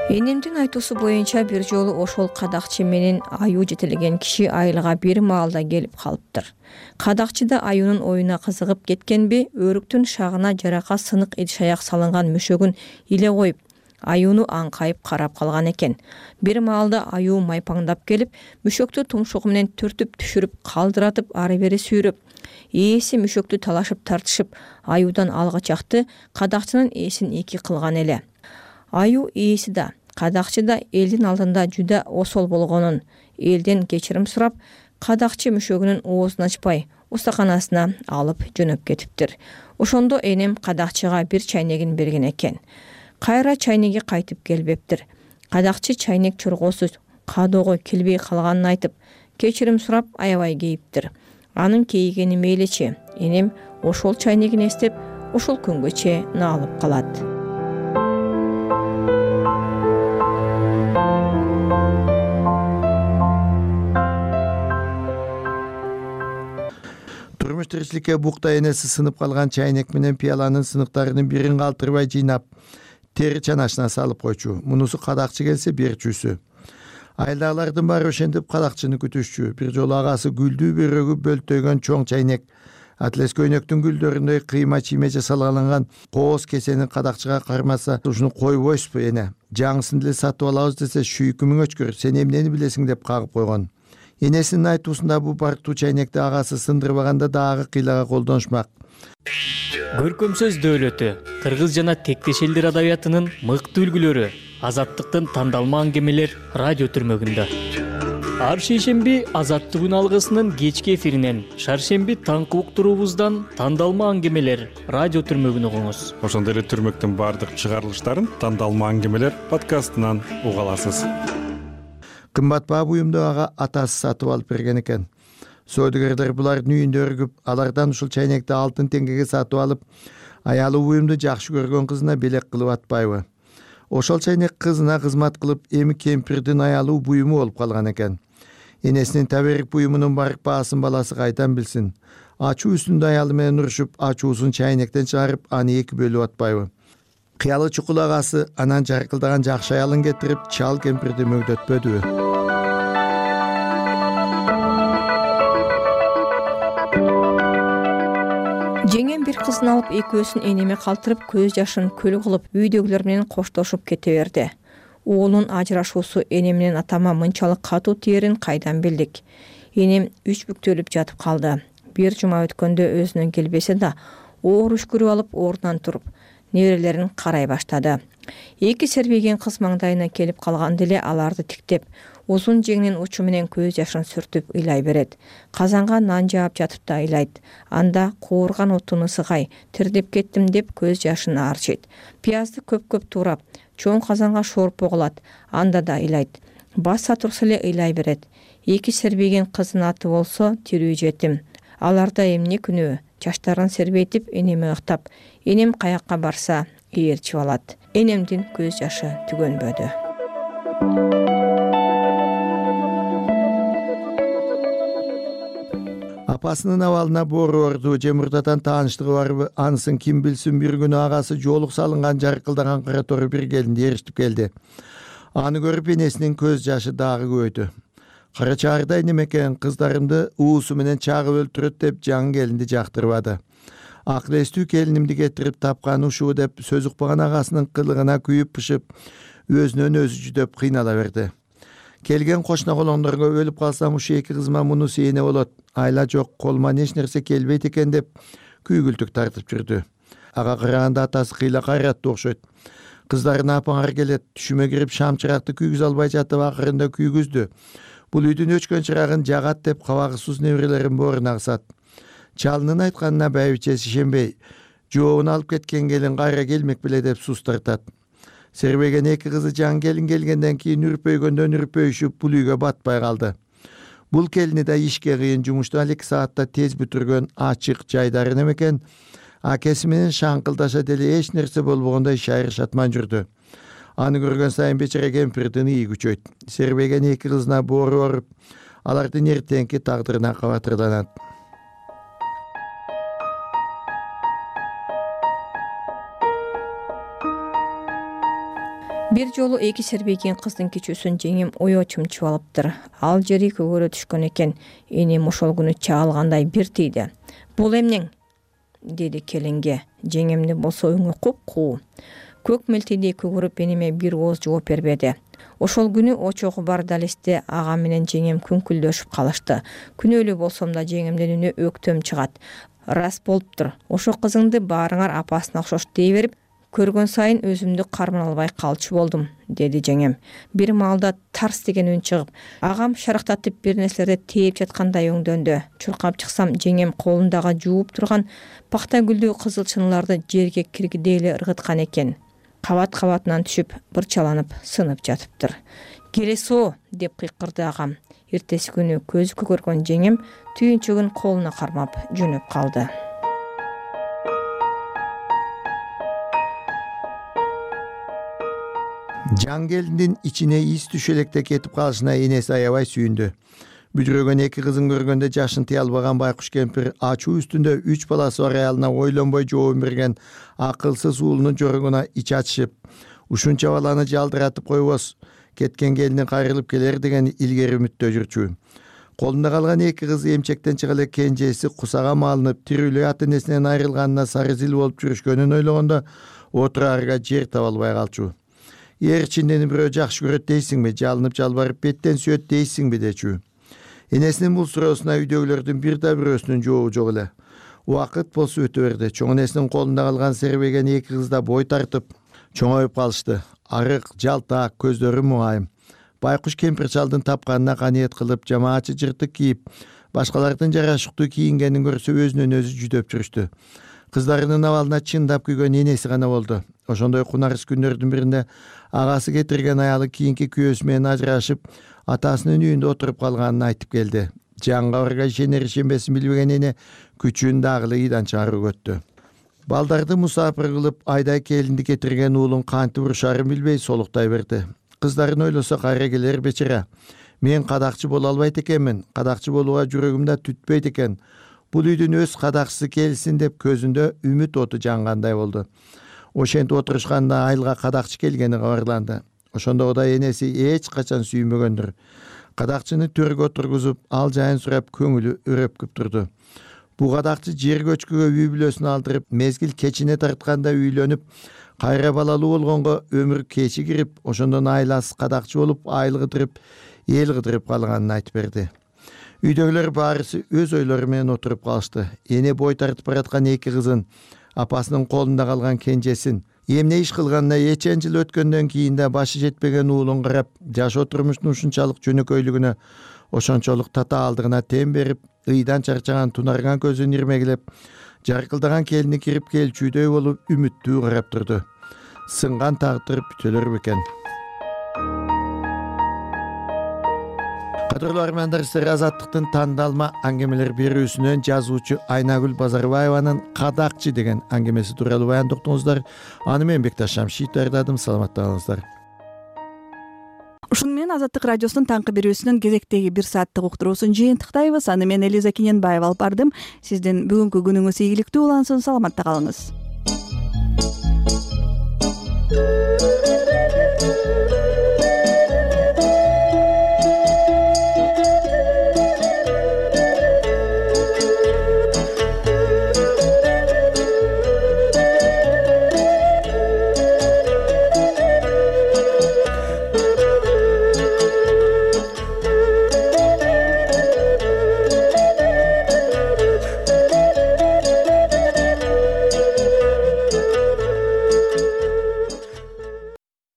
[SPEAKER 6] Энемдин айтуусу боюнча бир жолу ошол кадакчы менен аюу жетелеген киши айылга бир маалда келип калыптыр. Кадакчы да аюунун оюна кызыгып кеткенби, өрүктүн шагына жарака сынык ит шаяк салынган мөшөгүн иле коюп, аюуну аңкайып карап калган экен. Бир маалда аюу майпаңдап келип, мөшөктү тумшугу менен түртүп түшүрүп, калдыратып ары бери сүйрөп, ээси мөшөктү талашып тартышып, аюудан алгычакты кадакчынын ээсин эки кылган эле. Аюу ээси да, кадакчы да элдин алдында жүдө осол болгонун, элден кечирим сурап, кадакчы мөшөгүнүн оозун ачпай, устаканасына алып жөнөп кетиптир. Ошондо энем кадакчыга бир чайнегин берген экен. Кайра чайнеги кайтып келбептир. Кадакчы чайнек чоргосуз кадоого келбей калганын айтып, кечирим сурап аябай кейиптир. Анын кейигени мейличи, энем ошол чайнегин эстеп, ошол күнгөчө наалып калат.
[SPEAKER 5] Турмуш тиричиликке букта энеси сынып калган чайнек менен пияланын сыныктарынын бирин калтырбай жыйнап, тери чанашына салып койчу. Мунусу кадакчы келсе берчүүсү. Айылдагылардын баары ошентип кадакчыны күтүшчү. Бир жолу агасы гүлдүү бөрөгү бөлтөйгөн чоң чайнек, атлес көйнөктүн гүлдөрүндөй кыйма чийме жасалган кооз кесени кадакчыга кармаса, ушуну койбойсузбу эне? Жаңысын деле сатып алабыз десе, шүйкү мөчкөр, сен эмнени билесиң деп кагып койгон. Энесинин айтуусунда бул барктуу чайнекти агасы сындырбаганда дагы кыйлага колдонушмак.
[SPEAKER 23] Көркөм сөз дөөлөтү, кыргыз жана тектеш элдер адабиятынын мыкты үлгүлөрү, азаттыктын тандалма аңгемелер радио түрмөгүндө. Ар шейшемби Азаттык алгысынын кечки эфиринен, шаршемби таңкы уктуруубуздан тандалма аңгемелер радио түрмөгүн угуңуз.
[SPEAKER 18] Ошондой эле түрмөктүн баардык чыгарылыштарын тандалма аңгемелер подкастынан уга аласыз.
[SPEAKER 5] Кымбат баа буюмду ага атасы сатып алып берген экен. Сөөдөгөрлөр булардын үйүндө өргүп, алардан ушул чайнекти алтын теңгеге сатып алып, аялы буюмду жакшы көргөн кызына белек кылып атпайбы? Ошол чайнек кызына кызмат кылып, эми кемпирдин аялуу буюму болуп калган экен. Энесинин таберик буюмунун барк баасын баласы кайдан билсин? Ачуу үстүндө аялы менен урушуп, ачуусун чайнектен чыгарып, аны эки бөлүп атпайбы? Кыялы чукул агасы анан жаркылдаган жакшы аялын кетирип, чал кемпирди мөгдөтпөдүбү?
[SPEAKER 6] Жеңем бир кызын алып экөөсүн энеме калтырып, көз жашын көл кылып, үйдөгүлөр менен коштошуп кете берди. Уулунун ажырашуусу эне менен атама мынчалык катуу тиерин кайдан билдик? Энем үч бүктөлүп жатып калды. Бир жума өткөндө өзүнө келбесе да, оор үшкүрүп алып ордунан туруп, неберелерин карай баштады. Эки сербейген кыз маңдайына келип калганда эле аларды тиктеп, узун жеңинин учу менен көз жашын сүртүп ыйлай берет. Казанга нан жаап жатып да ыйлайт. Анда куурган отун ысыгай, тирдеп кеттим деп көз жашын арчыйт. Пиязды көп-көп туурап, чоң казанга шорпо кылат. Анда да ыйлайт. Баса турса эле ыйлай берет. Эки сербеген кыздын аты болсо тирүү жетим. Аларда эмне күнөө? Чачтарын сербейтип энеме ыктап, энем каякка барса ээрчип алат. Энемдин көз жашы түгөнбөдү.
[SPEAKER 5] Апасынын абалына боору орду же мурдатан тааныштыгы барбы, анысын ким билсин, бир күнү агасы жоолук салынган жаркылдаган кара тору бир келинди ээрчитип келди. Аны көрүп энесинин көз жашы дагы көбөйдү. Кара чаардай немекен, кыздарымды уусу менен чагып өлтүрөт деп жаңы келинди жактырбады. Акыл эстүү келинимди кетирип тапкан ушуу деп сөз укпаган агасынын кылыгына күйүп пышып, өзүнөн өзү жүдөп кыйнала берди. Келген кошуна колоңдорго өлүп калсам ушу эки кызыма муну сээне болот, айла жок, колума эч нерсе келбейт экен деп күйгүлтүк тартып жүрдү. Ага караганда атасы кыйла кайраттуу окшойт. Кыздарына апаңар келет, түшүмө кирип шам чыракты күйгүзө албай жатып акырында күйгүздү. Бул үйдүн өчкөн чырагын жагат деп кабагысыз неберелерин бооруна кысат. Чалынын айтканына байбичеси ишенбей, жообун алып кеткен келин кайра келмек беле деп суз тартат. Сербеген эки кызы жаңы келин келгенден кийин үрпөйгөндөн үрпөйүшүп бул үйгө батпай калды. Бул келини да ишке кыйын, жумушту 2 саатта тез бүтүргөн ачык жайдары немекен, акеси менен шаңкылдаша деле эч нерсе болбогондой шайыр шатман жүрдү. Аны көргөн сайын бечара кемпирдин ии күчөйт. Сербеген эки кызына боору оруп, алардын эртеңки тагдырына кабатырланат.
[SPEAKER 6] Бир жолу эки сербеген кыздын кичүүсүн жеңим оё чымчып алыптыр. Ал жери көгөрө түшкөн экен. Энем ошол күнү чаалгандай бир тийди. Бул эмнең? Деди келинге. Жеңемди болсо өңү куп-куу. Көк мелтейдей көгөрүп энеме бир ооз жооп бербеди. Ошол күнү очогу бар далесте ага менен жеңем күңкүлдөшүп калышты. Күнөөлүү болсом да жеңемдин үнү өктөм чыгат. Рас болуптур. Ошо кызыңды баарыңар апасына окшош дей берип, көргөн сайын өзүмдү кармана албай калчу болдум, деди жеңем. Бир маалда тарс деген үн чыгып, агам шарактатып бир нерселерди тээп жаткандай өңдөндү. Чуркап чыксам, жеңем колундагы жууп турган пакта гүлдүү кызыл чынырларды жерге киргидей эле ыргыткан экен. Кабат-кабатынан түшүп, бырчаланып, сынып жатыптыр. Келесо деп кыйкырды агам. Эртеси күнү көзү көгөргөн жеңем түйүнчөгүн колуна кармап жөнөп калды.
[SPEAKER 5] Жаңы келиндин ичине ис түшө электе кетип калышына энеси аябай сүйүндү. Бүдүрөгөн эки кызын көргөндө жашын тыя албаган байкуш кемпир ачуу үстүндө 3 баласы бар аялына ойлонбой жообун берген акылсыз уулунун жорогуна ич ачышып, ушунча баланы жалдыратып койбос, кеткен келини кайрылып келер деген илгери үмүттө жүрчү. Колунда калган эки кызы эмчектен чыга эле кенжеси кусага малынып, тирүүлөй ата энесинен айрылганына сары зил болуп жүрүшкөнүн ойлогондо отураарга жер таба албай калчу. Эрчиндени бирөө жакшы көрөт дейсиңби, жалынып жалбарып беттен сүйөт дейсиңби дечү. Энесинин бул суроосуна үйдөгүлөрдүн бир да бирөөсүнүн жообу жок эле. Убакыт болсо өтө берди. Чоң энесинин колунда калган сербеген эки кыз да бой тартып, чоңоюп калышты. Арык, жалтаак, көздөрү муңайым. Байкуш кемпир чалдын тапканына каниет кылып, жамаатчы жыртык кийип, башкалардын жарашыктуу кийингенин көрсө өзүнөн өзү жүдөп жүрүштү. Кыздарынын абалына чындап күйгөн энеси гана болду. Ошондой кунарыс күндөрдүн биринде агасы кетирген аялы кийинки күйөөсү менен ажырашып, атасынын үйүндө отуруп калганын айтып келди. Жаңы кабарга ишенер ишенбесин билбеген эне күчүн дагы ыйдан чыгарып өттү. Балдарды мусапыр кылып, айдай келинди кетирген уулун кантип урушарын билбей солуктай берди. Кыздарын ойлосо кайра келер бечара. Мен кадакчы боло албайт экенмин, кадакчы болууга жүрөгүм да түтпөйт экен. Бул үйдүн өз кадакчысы келсин деп көзүндө үмүт оту жангандай болду. Ошентип отурушканда айылга кадакчы келгени кабарланды. Ошондо да энеси эч качан сүймөгөндүр. Кадакчыны төргө отургузуп, ал жайын сурап көңүлү өрөпкүп турду. Бу кадакчы жер көчкүгө үй бүлөсүн алдырып, мезгил кечине тартканда үйлөнүп, кайра балалуу болгонго өмүр кечигирип, ошондон айласыз кадакчы болуп, айыл кыдырып, эл кыдырып калганын айтып берди. Үйдөгүлөр баарысы өз ойлору менен отуруп калышты. Эне бой тартып бараткан эки кызын, апасынын колунда калган кенжесин, эмне иш кылганына эчен жыл өткөндөн кийин да башы жетпеген уулун карап, жашоо турмуштун ушунчалык жөнөкөйлүгүнө, ошончолук татаалдыгына тем берип, ыйдан чарчаган тунарган көзүн ирмегилеп, жаркылдаган келини кирип келчүдөй болуп үмүттүү карап турду. Сынган тагдыр бүтөлөр бекен. Кадырлуу армяндар, сиздер Азаттыктын тандалма аңгемелер берүүсүнөн жазуучу Айнагүл Базарбаеванын Кадакчы деген аңгемеси тууралуу баяндоктуңуздар. Аны мен Бекташ Шамшиев даярдадым. Саламатта калыңыздар.
[SPEAKER 1] Ушуну менен Азаттык радиосунун таңкы берүүсүнүн кезектеги 1 сааттык уктуруусун жыйынтыктайбыз. Аны мен Элиза Кененбаева алып бардым. Сиздин бүгүнкү күнүңүз ийгиликтүү улансын. Саламатта калыңыз.